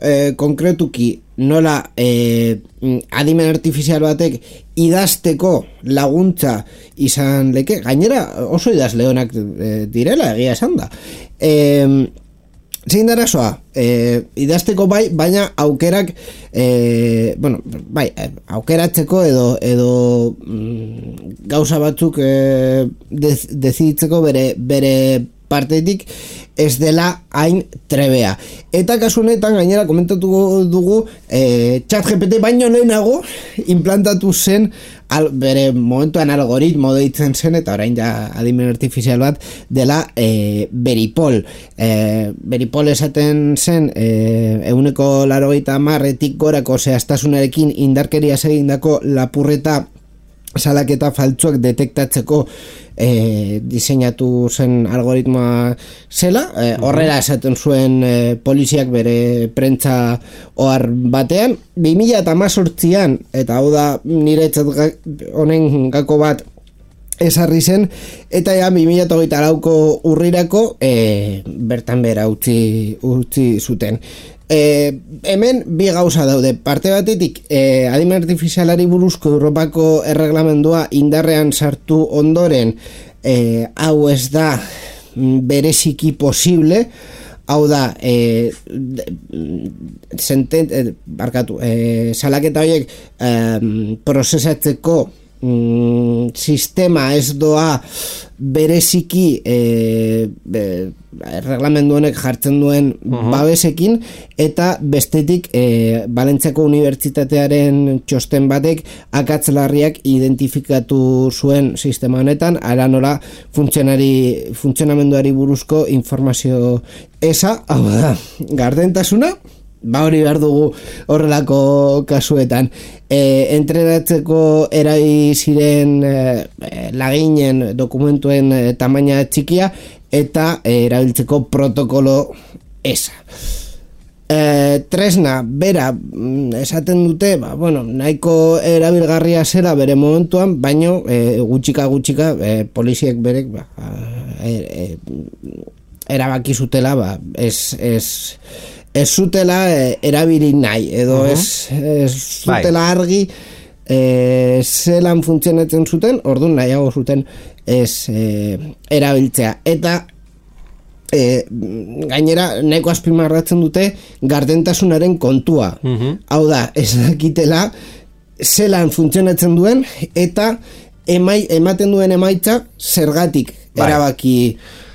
e, konkretuki nola e, adimen artifizial batek idazteko laguntza izan leke, gainera oso idazle honak e, direla, egia esan da. E, Zein da arazoa, e, idazteko bai, baina aukerak, e, bueno, bai, aukeratzeko edo, edo mm, gauza batzuk e, dez, deziditzeko bere, bere partetik ez dela hain trebea. Eta kasu honetan gainera komentatu dugu e, ChatGPT baino lehenago implantatu zen al, bere momentuan algoritmo deitzen zen, eta orain ja adimen artifizial bat dela e, Beripol. E, Beripol esaten zen e, ehuneko laurogeita hamarretik gorako zehaztasunarekin indarkeria egindako lapurreta salaketa faltsuak detektatzeko e, diseinatu zen algoritmoa zela, e, horrela esaten zuen e, poliziak bere prentza ohar batean. bi mila hemezortzian, eta hau da niretzat honen gako bat esarri zen, eta ja bi mila hogeita lauko urrirako e, bertan bera utzi, utzi zuten. E, hemen bi gauza daude, parte batetik e, adimen artifizialari buruzko Europako erreglamendua indarrean sartu ondoren e, hau ez da bereziki posible, hau da e, senten, e, barkatu, e, salaketa horiek e, prozesatzeko mm, sistema ez doa bereziki e, be, reglamendu honek jartzen duen uh-huh. babesekin, eta bestetik e, Valentziako Unibertsitatearen txosten batek akats larriak identifikatu zuen sistema honetan, ara nola funtzionari, funtzionamenduari buruzko informazio eza, hau da, gardentasuna, ba hori behar dugu horrelako kasuetan. E, entrenatzeko erai ziren e, laginen dokumentuen e, tamaina txikia eta e, erabiltzeko protokolo eza. E, tresna, bera, esaten dute, ba, bueno, nahiko erabilgarria zela bere momentuan, baino e, gutxika gutxika e, poliziek berek ba, e, e, erabaki zutela, ba, ez... ez ez zutela e, erabili nahi, edo uh-huh. ez, ez zutela argi e, zelan funtzionatzen zuten, orduan nahiago zuten ez e, erabiltzea. Eta e, gainera nahiko azpimarratzen dute gardentasunaren kontua. Uh-huh. Hau da, ez dakitela zelan funtzionatzen duen eta emai, ematen duen emaitza zergatik bai. Erabaki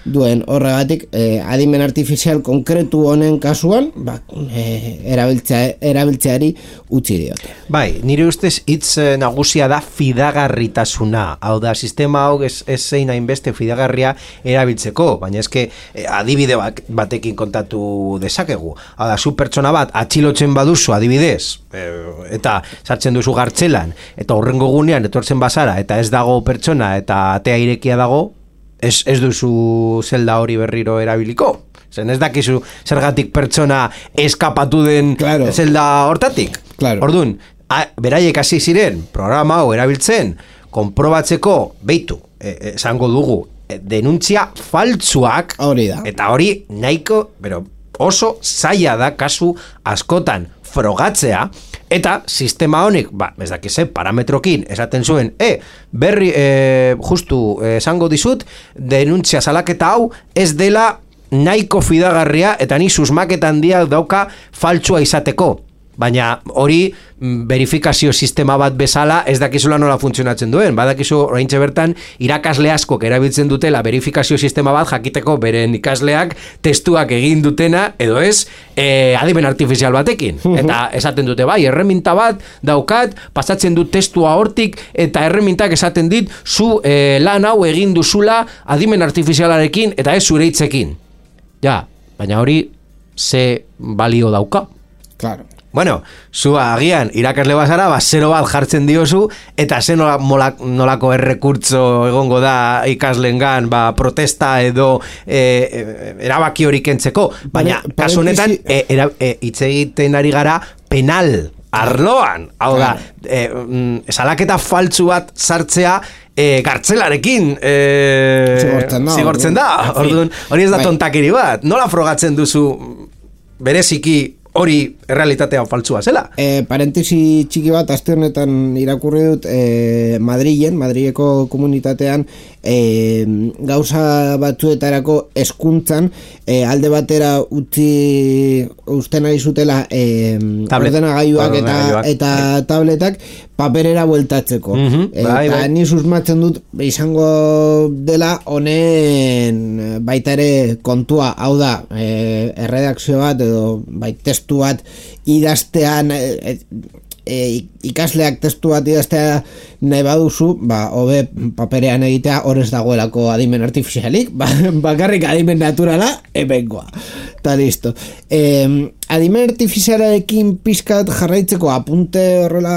duen. Horregatik eh, adimen artifizial konkretu honen kasuan ba, eh, erabiltzea, erabiltzeari utzi diote. Bai, nire ustez hitz nagusia da fidagarritasuna. Hau da, sistema hau ez, ez zein hainbeste fidagarria erabiltzeko, baina eske eh, adibide bat, batekin kontatu dezakegu. Hau da, zu pertsona bat atxilotzen baduzu adibidez, eh, eta sartzen duzu gartzelan, eta horrengo gunean etortzen bazara, eta ez dago pertsona, eta atea irekia dago, Ez, ez duzu zelda hori berriro erabiliko. Zen ez dakizu zergatik pertsona eskapatu den claro. zelda hortatik. Claro. Orduan, a, beraiek hasi ziren programa hau erabiltzen, konprobatzeko, beitu, esango e, dugu, e, denuntzia faltsuak, hori da. Eta hori nahiko, pero oso zaila da kasu askotan frogatzea, eta sistema honik, ba, ez dakize, parametrokin esaten zuen, e, berri, e, justu, esango dizut, denuntzia salaketa hau ez dela nahiko fidagarria eta ni susmaketan handia dauka faltsua izateko. Baina hori verifikazio sistema bat bezala ez dakizula nola funtzionatzen duen. Badakizu oraintxe bertan irakasle askok erabiltzen dutela verifikazio sistema bat jakiteko beren ikasleak testuak egin dutena edo ez e, adimen artifizial batekin. Eta esaten dute bai, erreminta bat daukat, pasatzen dut testua hortik eta erremintak esaten dit zu e, lan hau egin duzula adimen artifizialarekin eta ez zure hitzekin. Ja, baina hori ze balio dauka. Claro. Bueno, zu agian irakasle bazara, ba, zero bat jartzen diozu, eta ze nola, molak, nolako errekurtzo egongo da ikaslengan, ba, protesta edo e, erabaki hori kentzeko. Baina, kasu honetan, e, era, e, hitz egiten ari gara penal arloan. Hau da, e, mm, salaketa faltsu bat sartzea, E, gartzelarekin e, zigortzen da, zigortzen da. Orduan, hori ez da tontakiri bat. Nola frogatzen duzu bereziki hori errealitatea faltsua zela? E, parentesi txiki bat, aste honetan irakurri dut e, Madrilen, Madrileko komunitatean e, gauza batzuetarako hezkuntzan e, alde batera utzi usten ari zutela e, ordenagailuak eta, eta tabletak paperera bueltatzeko. Mm-hmm, eta bai, bai. Ni susmatzen dut izango dela honen baita ere kontua, hau da e, erredakzio bat edo bai testu bat idaztean e, e, ikasleak testu bat idaztea nahi baduzu, ba, hobe paperean egitea horrez dagoelako adimen artifizialik, ba, bakarrik adimen naturala ebengoa. Eta listo. E, adimen artifizialarekin pizkat jarraitzeko apunte horrela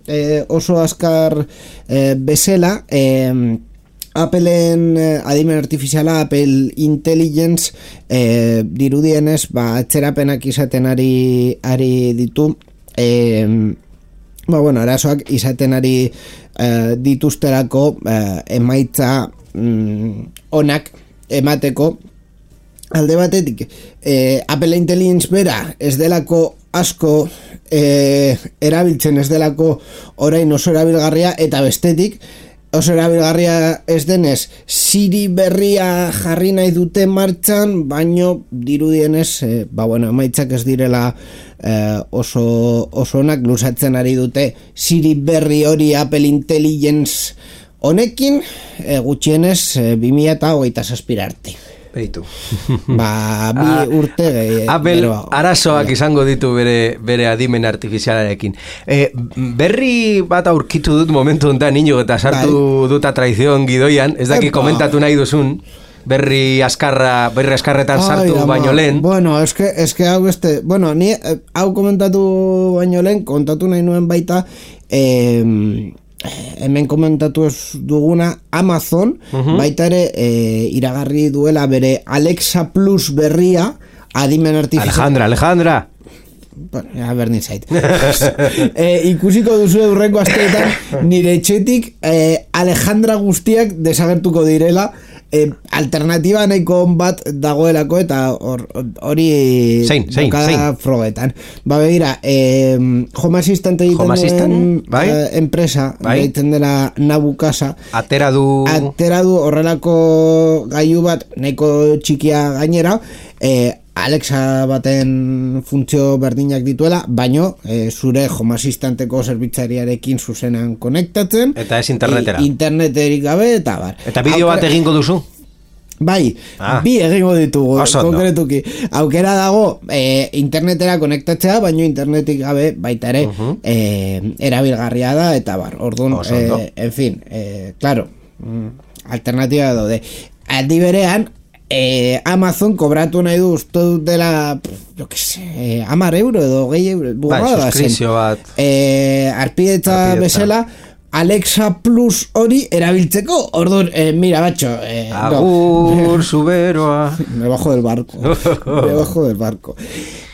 e, oso azkar e, bezala, e, Appleen eh, adimen artifiziala, Apple Intelligence eh, dirudienez, ba, atzerapenak izaten ari, ari ditu eh, ba, bueno, arazoak izaten ari eh, dituzterako eh, emaitza mm, onak emateko. Alde batetik eh, Apple Intelligence bera ez delako asko eh, erabiltzen, ez delako orain oso erabilgarria, eta bestetik oso erabilgarria ez denez, Siri berria jarri nahi dute martxan, baino dirudienez, eh, ba bueno, emaitzak ez direla eh, oso oso onak, luzatzen ari dute Siri berri hori Apple Intelligence honekin, eh, gutxienez eh, bi mila hogeita zazpi arte. Beitu. Ba, bi urte gehi, Apple pero, arazoak ja. izango ditu bere, bere adimen artifizialarekin. E, berri bat aurkitu dut momentu honetan niño eta sartu bai. Duta traizion gidoian, ez daki Epa. Komentatu nahi duzun, berri askarra, berri askarretan sartu Ai, baino lehen. Bueno, eske, eske hau este, bueno, ni hau komentatu baino lehen, kontatu nahi nuen baita, eh, hemen komentatu ez duguna Amazon, uh-huh. baita ere e, iragarri duela bere Alexa Plus berria adimen artifizial. Alejandra, Alejandra. Bueno, a ber nizait. e, ikusiko duzu eurreko asteetan nire etxetik e, Alejandra guztiak desagertuko direla. E, alternatiba nahiko bat dagoelako eta hori zein, zein, zein frogetan. Ba begira, eh, Home Assistant egiten duen bai? eh, enpresa bai? egiten dela Nabukasa atera du atera du horrelako gailu bat nahiko txikia gainera, eh, Alexa baten funtzio berdinak dituela, baino e, zure Home Assistanteko zerbitzariarekin zuzenan konektatzen eta ez internetera e, interneterik gabe eta bar. Eta bideo bat egingo duzu? Bai, ah. bi egingo ditugu konkretuki. Aukera dago e, internetera konektatzea, baino internetik gabe baita ere uh-huh. e, erabilgarria da eta bar. Orduan, e, en fin, e, claro, alternatiba daude. Aldi berean Eh, Amazon kobratu nahi du uste dela jo que se, eh, hamar euro edo gehi euro bai, suskrizio bat eh, arpidetza bezala Alexa Plus hori erabiltzeko orduan, eh, mira batxo eh, agur no. Zuberoa me bajo del barco me bajo del barco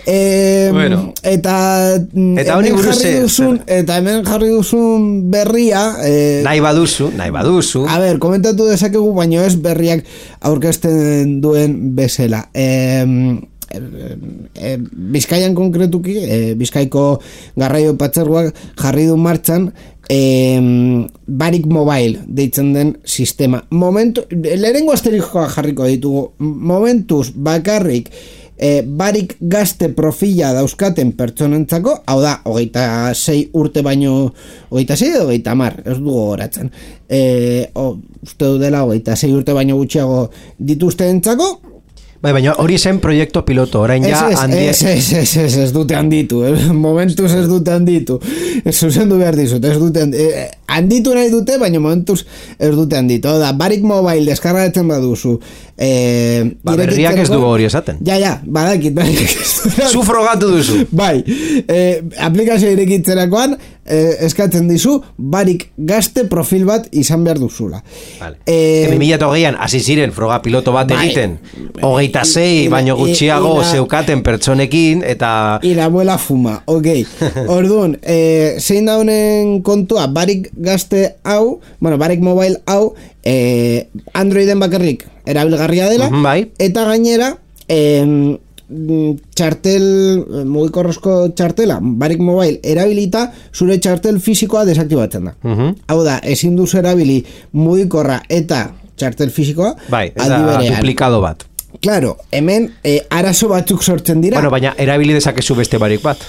Eh, bueno. eta eta hori jarri duzun eta hemen jarri duzun berria eh, nahi baduzu, nahi baduzu a ber, komentatu dezakegu baino ez berriak aurkezten duen bezala eh, eh, eh, Bizkaian konkretuki eh, Bizkaiko garraio patzeruak jarri du martxan eh, Barik Mobile deitzen den sistema momentu, lehenengo asterikoa jarriko ditugu momentuz bakarrik E, barik gazte profila dauzkaten pertsonentzako, hau da, hogeita sei urte baino, hogeita sei edo hogeita mar, ez dugu goratzen. E, o, uste dudela, hogeita sei urte baino gutxiago dituztenentzako. Bai, baina hori zen proiektu piloto, orain ja handi... Ez, ez, ez, ez, ez dute handitu, eh? momentuz ez dute handitu. Ez zuzendu behar dizut, ez dute handitu. Eh, handitu nahi dute, baina momentuz ez dute handitu. Oda, Barik Mobile deskargatzen baduzu. Eh, ba, berriak ez dugu hori esaten. Ja, ja, badakit, badakit. Zu frogatu duzu. Bai, eh, aplikazio irekitzerakoan eh, eskatzen dizu Barik gazte profil bat izan behar duzula. Vale. Eh, bi mila hogeian hasi ziren froga piloto bat bai, egiten. Hogeita sei, baino gutxiago ira, zeukaten pertsonekin, eta... Ira abuela fuma, ok. Orduan, eh, zein da honen kontua, Barik gazte hau, bueno, Barik Mobile hau, eh, Androiden bakarrik erabilgarria dela, uh-huh, bai. Eta gainera, eh, txartel, mugikorrezko txartela, Barik Mobile erabilita, zure txartel fisikoa desaktibatzen da. Uh-huh. Hau da, ezin duzu erabili mugikorra eta txartel fisikoa, bai, eta duplikado bat. Claro, hemen eh, arazo batzuk sortzen dira. Bueno, baina erabili dezakezu beste barik bat.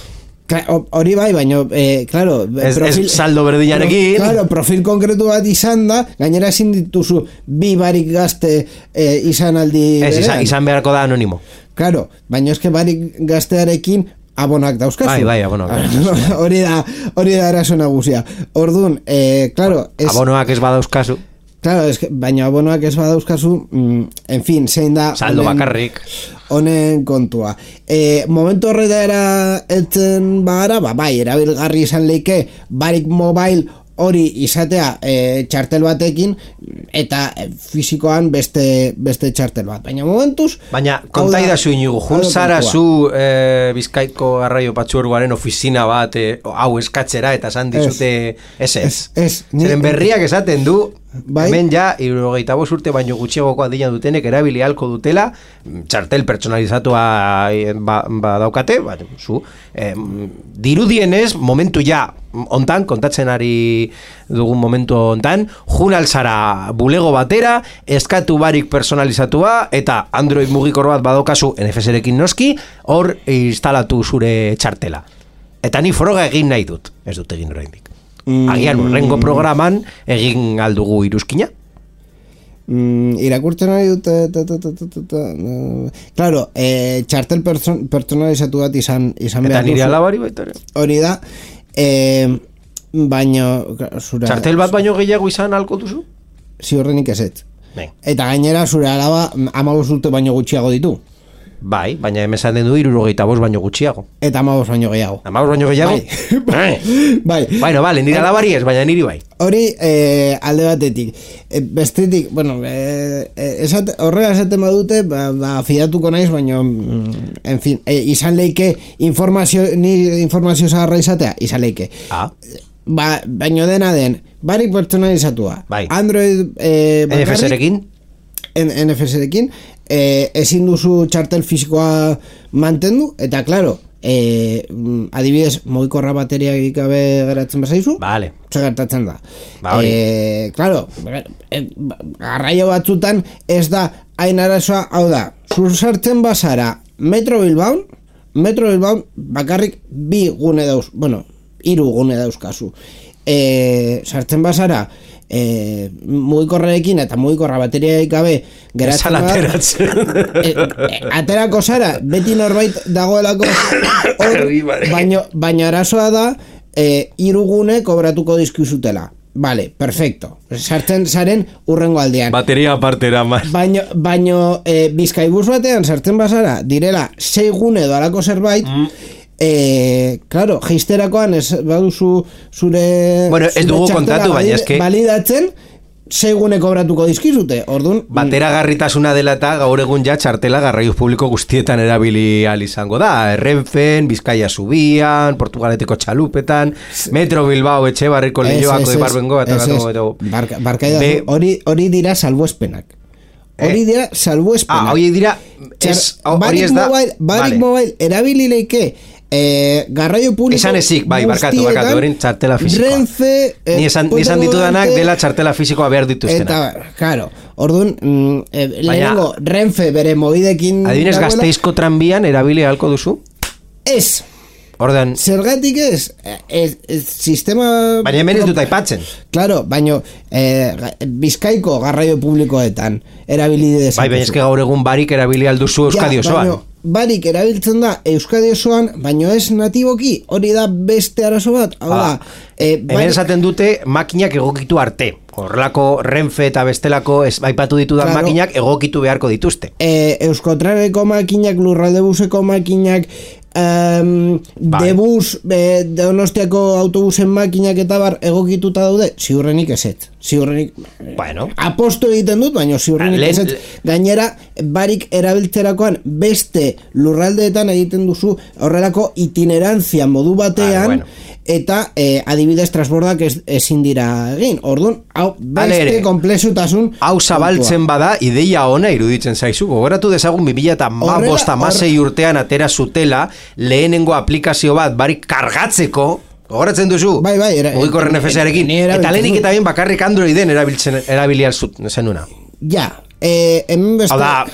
Hori bai, baina, eh, claro, ez, profil, ez saldo berdinarekin. Claro, profil konkretu bat izan da, gainera ezin dituzu bi barik gazte eh, izan aldi ez, izan, izan beharko da anonimo. Claro, baina eske barik gaztearekin abonak dauzkazu. Bai, bai, abonak. Hori da, hori da arazo nagusia. Orduan, eh, claro... Ez, abonoak ez badauzkazu. Claro, es que, baina abonoak ez badauzkazu, mm, en fin, zein da... Saldo honen, bakarrik. Honen kontua. E, momentu horretara etzen bagara, ba, bai, erabilgarri izan leike, Barik Mobile hori izatea e, txartel batekin, eta e, fisikoan beste, beste txartel bat. Baina momentuz... Baina, konta idazu inigu, jun zara zu e, Bizkaiko Garraio Patzuergoaren ofizina bat, e, hau eskatzera, eta esan dizute ez ez. Ez, ez. Zeren berriak esaten du, bai. Hemen ja, hirurogeita bost urte baino gutxiagoko adina dutenek erabili ahalko dutela, txartel pertsonalizatua ba, ba daukate, ba, zu, eh, dirudienez, momentu ja, ontan, kontatzen ari dugun momentu ontan, jun alzara bulego batera, eskatu barik personalizatua, eta Android mugikor bat badokazu N F S-rekin noski, hor instalatu zure txartela. Eta ni froga egin nahi dut, ez dut egin oraindik. Mm. Agian urrengo programan egin aldugu iruzkina. Mm, irakurtzen nahi dut ta, ta, ta, ta, ta, no. Claro, eh, txartel person, personalizatu bat izan, izan eta nire alabari baita ere. Hori da, eh, baino zura, txartel bat baino gehiago izan alko duzu? Ziurrenik ezetz. Ben. Eta gainera zure alaba hamabost urte baino gutxiago ditu. Bai, baina hemen zaten du hirurogeita bost baino gutxiago. Eta hamabost baino gehiago. Hamabost baino gehiago? Bai. Bai. Bueno, vale, nire alabari ez, baina niri bai. Hori eh, alde batetik. E, bestetik, bueno, eh, esat, horrela esaten badute, ba, ba, fiatuko naiz, baina, en fin, eh, izan leike informazio, ni informazio zaharra izatea, izan leike. Ah. Ba, baino dena den, barik personalizatua. Bai. Android eh, N F S-rekin? N F S-rekin, eh, ezin duzu txartel fisikoa mantendu, eta claro, eh, adibidez, mugikorra bateriak gabe geratzen bazaizu, vale. Zer gertatzen da. Ba, eh, claro, eh, garraio batzutan ez da hain arazoa, hau da, zur sartzen bazara Metro Bilbao, Metro Bilbao bakarrik bi gune dauz, bueno, hiru gune dauzkazu. Eh, sartzen bazara E, mugikorrekin eta mugikorra bateriaik gabe geratzen da, e, e, aterako zara beti norbait dagoelako hor, baino, baino arazoa da e, irugune kobratuko dizkizutela. Vale, perfecto. Sartzen zaren urrengo aldean. Bateria apartera más. Baino, baino e, Bizkaibus batean sartzen bazara direla sei gune edo alako zerbait, mm. Eh, claro, geisterakoan ez baduzu zure bueno, ez dugu kontatu, baina eske validatzen segune kobratuko dizkizute. Ordun bateragarritasuna dela eta gaur egun ja txartela garraio publiko guztietan erabili al izango da. Renfen, Bizkaia Zubian, Portugaleteko txalupetan, Metro Bilbao Etxebarriko Leioako de Barbengo eta barka, barka Be... hori hori dira salbuespenak. Hori eh? dira salbuespenak. Ah, hori dira es, hori ez da. Mobile, Barik vale. Mobile erabili leike Eh, garraio publiko esan ezik, bai, barkatu, barkatu, horin txartela fisikoa. Renfe, eh, ni esan, ni esan ditudanak dela txartela fisikoa behar dituztenak. Eta, claro, orduan, mm, eh, lehenengo, Renfe bere mobidekin... Adibinez, Gasteizko tranbian erabili ahalko duzu? Ez. Ordan... Zergatik ez? Ez, ez sistema... Baina hemen ez dut aipatzen. Claro, baina eh, Bizkaiko garraio publikoetan erabili dezakezu. Bai, baina ez gaur egun barik erabili alduzu Euskadi osoan. Ja, barik erabiltzen da Euskadi osoan, baino ez natiboki, hori da beste arazo bat. Hau da, ah, e, hemen esaten dute makinak egokitu arte. Horrelako Renfe eta bestelako ez aipatu ditudan claro, makinak egokitu beharko dituzte. E, Euskotreneko makinak, Lurraldebuseko makinak, Um, vale. Debus, eh, Donostiako autobusen makinak eta bar egokituta daude, ziurrenik eset. Ziurrenik, bueno. Aposto egiten dut, baina ziurrenik Len, eset. Gainera, barik erabiltzerakoan beste lurraldeetan egiten duzu horrelako itinerantzia modu batean, ah, bueno. Eta eh, adibidez transbordak ez, ezin dira egin. Orduan, hau beste komplexutasun hau zabaltzen bada ideia ona iruditzen zaizu. Gogoratu dezagun bi mila hamasei urtean atera zutela lehenengo aplikazio bat barik kargatzeko. Gogoratzen duzu? Bai, bai, era, Mugikorren F S-arekin. Eta lehenik eta bien bakarrik Androiden erabiltzen erabiliar zenuna. Ja, eh, hemen beste... Hau da,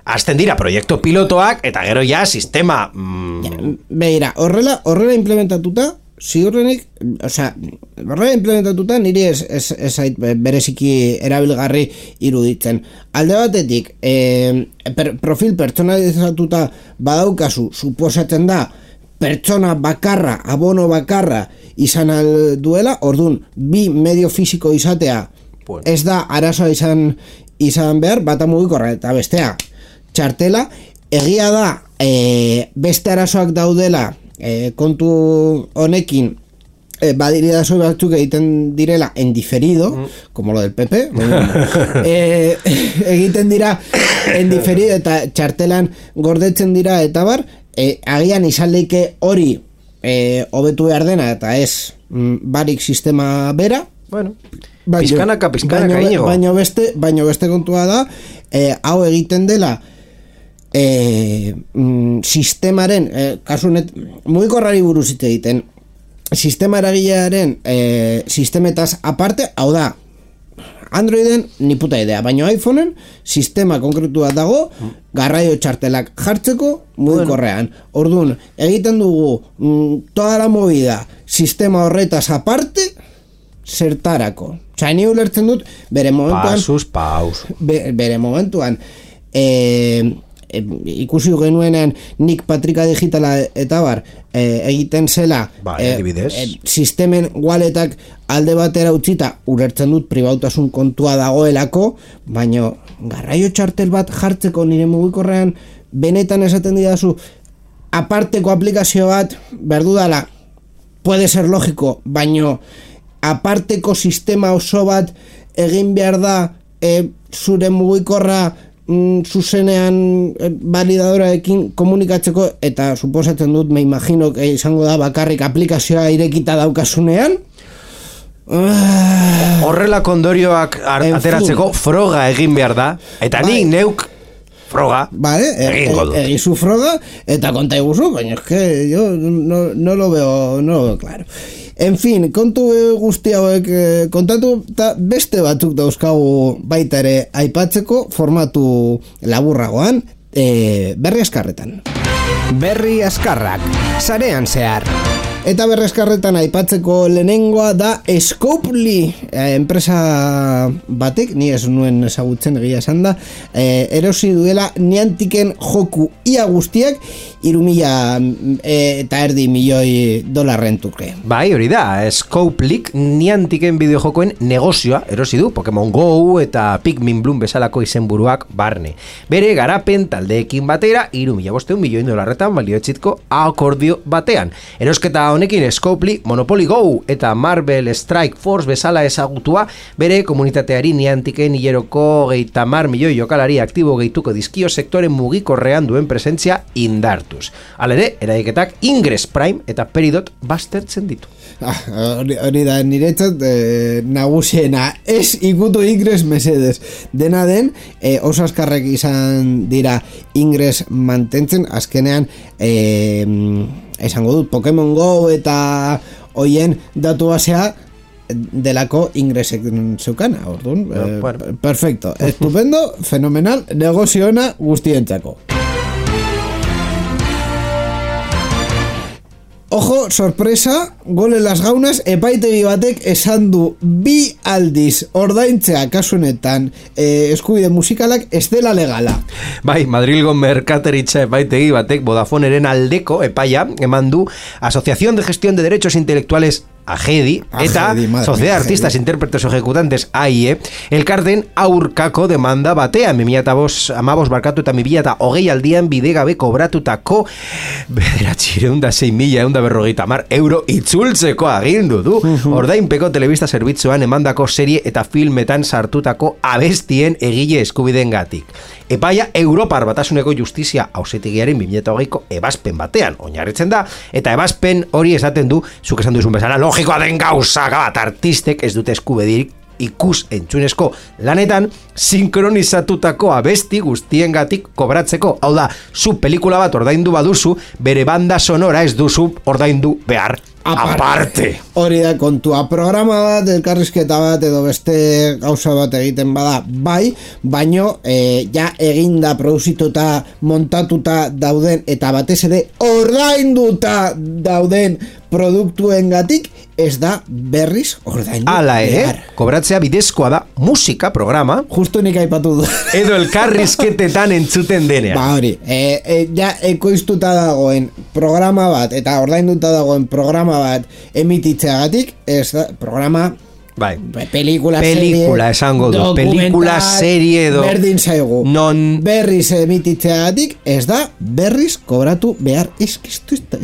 azten dira proiektu pilotoak eta gero ja sistema... Mm... Ja, beira, horrela, horrela implementatuta ziurrenik, osea, horrela implementatuta niri ez, ez, ez ait bereziki erabilgarri iruditzen. Alde batetik, eh, per, profil pertsonalizatuta badaukazu, suposatzen da, pertsona bakarra, abono bakarra izan duela, ordun bi medio fisiko izatea, bueno. Ez da arazoa izan, izan behar, bata mugikorra eta bestea txartela, egia da, eh, beste arazoak daudela, E, kontu honekin e, badiri dazo batzuk egiten direla en diferido, mm. como lo del P P e, egiten dira en diferido eta txartelan gordetzen dira eta bar, e, agian izan leike hori e, hobetu behar dena eta ez mm, barik sistema bera. Bueno, pizkanaka, pizkanaka ino. Baino beste, baino beste kontua da, eh, hau egiten dela, eh, mm, sistemaren, eh, kasunet, mugikorrari buruz hitz egiten, sistema eragilearen eh, sistemetaz aparte, hau da, Androiden ni puta idea, baina iPhoneen sistema konkretua dago garraio txartelak jartzeko mugikorrean. Orduan, egiten dugu mm, toda la movida sistema horretaz aparte zertarako. Osea, ni ulertzen dut bere momentuan Pasus, paus. Be, bere momentuan eh, e, ikusi genuenean nik Patrika Digitala eta bar e, egiten zela ba, e, e, sistemen waletak alde batera utzita ulertzen dut pribautasun kontua dagoelako, baina garraio txartel bat jartzeko nire mugikorrean benetan esaten didazu aparteko aplikazio bat berdudala puede ser lógico, baina aparteko sistema oso bat egin behar da e, zure mugikorra mm, zuzenean e, validadoraekin komunikatzeko, eta suposatzen dut, me imagino que izango da bakarrik aplikazioa irekita daukasunean. Horrelako ondorioak ateratzeko froga egin behar da, eta bai. Nik neuk froga vale, egingo dut. Egizu froga eta konta iguzu, baina es que yo no, no lo veo, no lo veo claro. En fin, kontu guzti hauek kontatu eta beste batzuk dauzkagu baita ere aipatzeko formatu laburragoan, e, berri askarretan. Berri askarrak, sarean zehar. Eta berreskarretan aipatzeko lehenengoa da Scopely, eh, enpresa batek, ni ez nuen ezagutzen egia esan da, eh, erosi duela Niantiken joku ia guztiak hiru mila eh, eta erdi milioi dolarren truke. Bai, hori da, Scopelyk Niantiken bideojokoen negozioa erosi du, Pokemon Go eta Pikmin Bloom bezalako izenburuak barne. Bere garapen taldeekin batera hiru mila bostehun milioi dolarretan balioetsitko akordio batean. Erosketa honekin Scopely, Monopoly Go eta Marvel Strike Force bezala ezagutua bere komunitateari Niantiken hileroko geita mar milioi jokalari aktibo gehituko dizkio sektoren mugikorrean duen presentzia indartuz. Halere, eraiketak Ingress Prime eta Peridot baztertzen ditu. Ah, hori, hori da, niretzat eh, nagusiena, ez ikutu Ingress mesedez. Dena den, eh, oso askarrek izan dira Ingress mantentzen, azkenean eh, esango dut, Pokemon Go eta hoien datu basea delako Ingressek zeukana, orduan, no, eh, bueno. Perfecto, estupendo, fenomenal, negozio ona guztientzako. Ojo, sorpresa, gole las gaunas, epaitegi batek esan du bi aldiz ordaintzea kasunetan eh, eskubide musikalak ez dela legala. Bai, Madrilgo merkateritza epaitegi batek Vodafoneren aldeko epaia eman du Asociación de Gestión de Derechos Intelectuales Agedi, eta Agedi, Sociedad de Artistas Intérpretes o Ejecutantes A I E elkarten aurkako demanda batean bi mila hamabost barkatu eta bi mila hogei aldian bidegabe kobratutako bederatziehun eta sei mila ehun eta berrogeita hamar euro itzultzeko agindu du. Ordainpeko telebista zerbitzuan emandako serie eta filmetan sartutako abestien egile eskubideengatik. Epaia Europar Batasuneko Justizia Auzitegiaren bi mila hogeiko ebazpen batean oinarritzen da, eta ebazpen hori esaten du, zuk esan duzun bezala, logikoa den gauza bat, artistek ez dute eskubiderik ikus entzunezko lanetan sinkronizatutako abesti guztiengatik kobratzeko. Hau da, zu pelikula bat ordaindu baduzu, bere banda sonora ez duzu ordaindu behar. Aparte. Hori da kontua, programa bat, elkarrizketa bat edo beste gauza bat egiten bada bai, baino e, ja eginda, produzituta, montatuta dauden eta batez ere ordainduta dauden produktuengatik ez da berriz ordaindu. Hala ere, kobratzea bidezkoa da musika programa. Justo nik aipatu du. Edo elkarrizketetan entzuten denean. Ba hori, e, e, ja ekoiztuta dagoen programa bat eta ordainduta dagoen programa bat emititzeagatik, ez da, programa bai. Pelikula, pelikula serie, esango du, pelikula, serie edo berdin zaigu, non berriz emititzeagatik ez da berriz kobratu behar. Eskistu ez da,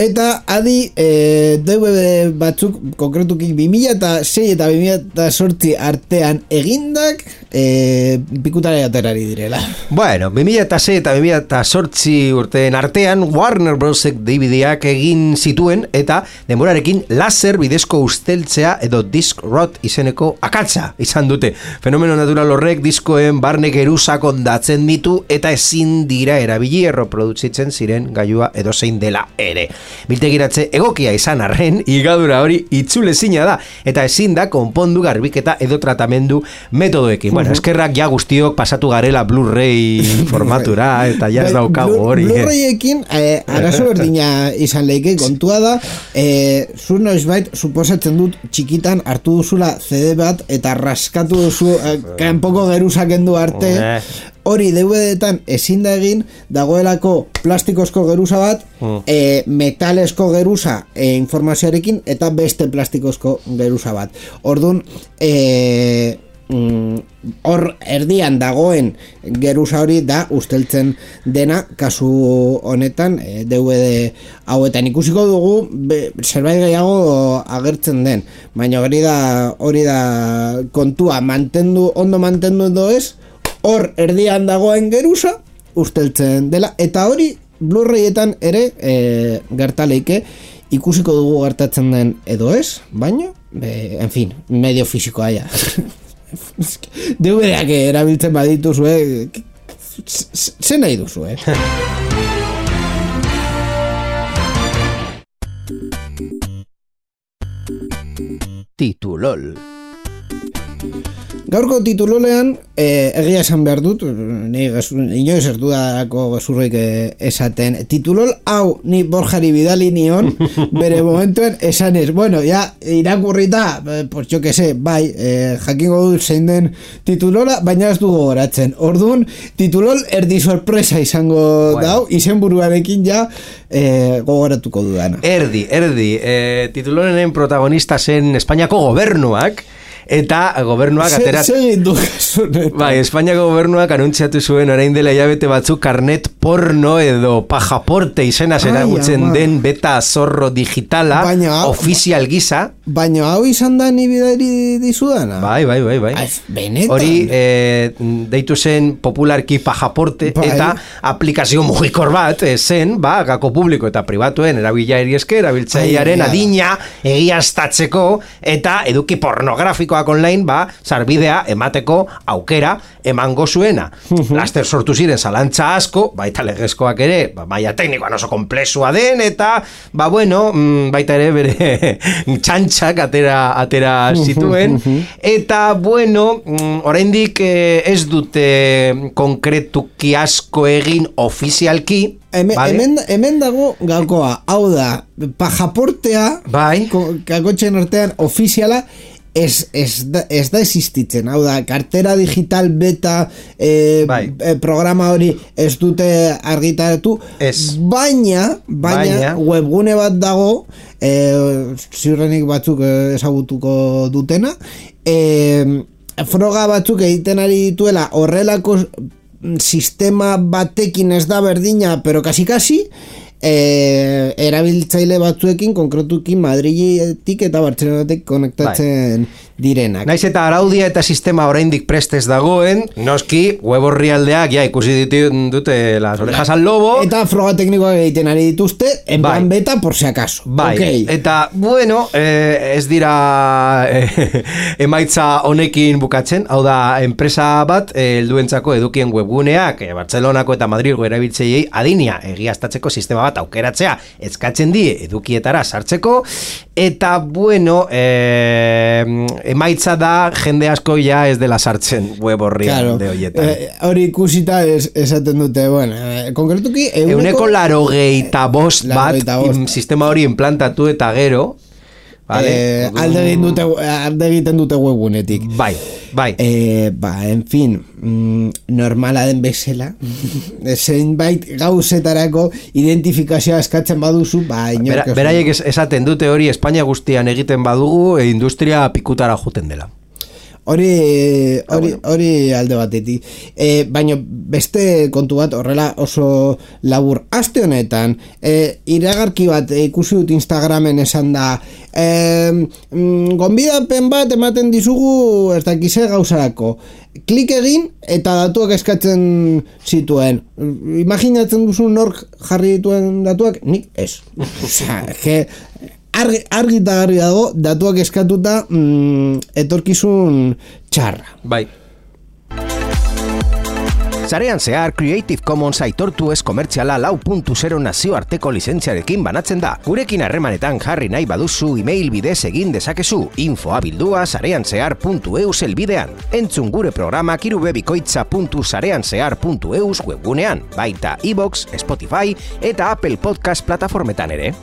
Eta adi e, D V D batzuk konkretuki bi mila sei eta bi mila zortzi artean egindak e, pikutara aterari direla. Bueno, bi mila sei eta bi mila zortzi urteen artean Warner Brosek D V D-ak egin zituen eta denborarekin laser bidezko usteltzea edo disc rot izeneko akatsa izan dute. Fenomeno natural horrek diskoen barne geruzak ondatzen ditu eta ezin dira erabili erreproduzitzen ziren gailua edo zein dela ere. Biltegiratze egokia izan arren, higadura hori itzulezina da eta ezin da konpondu garbiketa edo tratamendu metodoekin. Bueno, eskerrak ja guztiok pasatu garela Blu-ray formatura eta ja ez daukagu hori. Blu-rayekin eh, arazo berdina izan leike, kontua da eh, zu noizbait suposatzen dut txikitan hartu duzula C D bat eta raskatu duzu eh, kanpoko geruzak endu arte hori D V D-etan ezin da egin, dagoelako plastikozko geruza bat, mm. e, metalesko geruza e, informazioarekin eta beste plastikozko geruza bat. Orduan, e, mm, hor erdian dagoen geruza hori da usteltzen dena, kasu honetan e, D V D hauetan ikusiko dugu be, zerbait gehiago agertzen den, baina hori da hori da kontua, mantendu ondo mantendu edo ez, hor erdian dagoen geruza usteltzen dela, eta hori Blu-rayetan ere e, gertaleike ikusiko dugu gertatzen den edo ez, baina e, en fin, medio fisikoa ja. D V D-ak erabiltzen badituzue, ze nahi duzu, eh? Titulol. Gaurko titulolean eh, egia esan behar dut, ni inoiz erdu darako gezurroik esaten, titulol hau ni Borjari bidali nion bere momentuen esan ez, bueno, ja irakurrita, pues jo que sé, bai, eh, jakingo dut zein den titulola, baina ez dugu goratzen. Orduan, titulol erdi sorpresa izango bueno. Dau, izen buruarekin ja eh, gogoratuko dudana. Erdi, erdi, eh, titulolenen protagonista zen Espainiako gobernuak, eta gobernuak aterat... Segin du kasunetan. Bai, Espainiako gobernuak anuntziatu zuen orain dela hilabete batzuk karnet porno edo pajaporte izena zeragutzen den beta zorro digitala, baina, ofizial gisa. Baina hau izan da ni bidari dizudana? Bai, bai, bai, bai. Benetan. Hori eh, deitu zen popularki pajaporte bai. Eta aplikazio mugikor bat zen, ba, gako publiko eta pribatuen erabilari eske, erabiltzailearen adina egiaztatzeko eta eduki pornografikoa online, ba, sarbidea emateko aukera emango zuena. Laster sortu ziren zalantza asko, baita legezkoak ere, ba, maila teknikoan oso komplexua den, eta, ba, bueno, baita ere bere txantxak atera, atera zituen, eta, bueno, oraindik ez dute konkretuki asko egin ofizialki, Hemen, vale. hemen, hemen dago gakoa, hau da, pajaportea, bai. Kakotxen artean ofiziala, Ez, ez, da, ez da existitzen, hau da, kartera digital beta e, e, programa hori ez dute argitaratu, baina, baina, baina webgune bat dago, e, ziurrenik batzuk ezagutuko dutena, e, froga batzuk egiten ari dituela horrelako sistema batekin ez da berdina, pero kasi-kasi, E, erabiltzaile batzuekin konkretuki Madriletik eta Bartzelonatik konektatzen bai. Direnak. Naiz eta araudia eta sistema oraindik prestez dagoen, noski web orrialdeak ja ikusi dute las orejas al lobo eta froga teknikoak egiten ari dituzte en bai. Plan beta por si acaso. Bai. Okay. Eta bueno, eh, ez dira eh, emaitza honekin bukatzen, hau da enpresa bat helduentzako eh, edukien webguneak eh, Bartzelonako eta Madrilgo erabiltzaileei adinia egiaztatzeko sistema bat aukeratzea eskatzen die edukietara sartzeko eta bueno eh, emaitza da jende asko ja ez dela sartzen web horrian claro. De horietan eh, hori ikusita es, esaten dute bueno, eh, konkretuki euneko, euneko larogeita bost eh, bat bost. Sistema hori implantatu eta gero vale? eh, alde, egin dute, alde egiten dute webunetik bai, bai eh, ba, en fin mm, normala den bezala zeinbait gauzetarako identifikazioa eskatzen baduzu ba, Bera, beraiek esaten dute hori Espainia guztian egiten badugu e industria pikutara juten dela. hori hori hori alde batetik. E, baina beste kontu bat horrela oso labur. Aste honetan, e, iragarki bat ikusi dut Instagramen esan da, e, mm, gonbidapen bat ematen dizugu ez dakize gauzarako. Klik egin eta datuak eskatzen zituen. Imaginatzen duzu nork jarri dituen datuak? Nik ez. Osea, que argi, argi eta garbi dago datuak eskatuta mm, etorkizun txarra. Bai. Sarean zehar Creative Commons aitortu ez komertziala lau puntu zero nazioarteko lizentziarekin banatzen da. Gurekin harremanetan jarri nahi baduzu email bidez egin dezakezu. Infoa bildua sareanzehar puntu eus elbidean. Entzun gure programak irubebikoitza puntu sareanzehar puntu eus webgunean, baita iVoox, Spotify eta Apple Podcast plataformetan ere.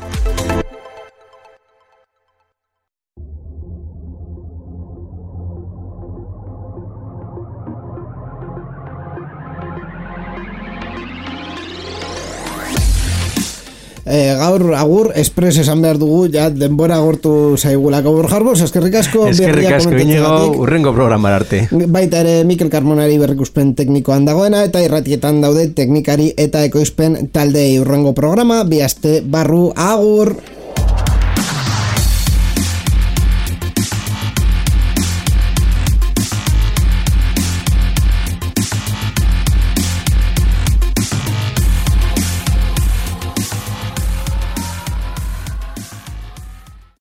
E, gaur agur espres esan behar dugu, ja denbora agortu zaigulako. Borjarbos, eskerrik asko. Eskerrik asko, Iñigo, urrengo programar arte. Baita ere Mikel Carmonari berrikuspen teknikoan dagoena, eta irratietan daude teknikari eta ekoizpen taldei. Urrengo programa, bi aste barru, agur.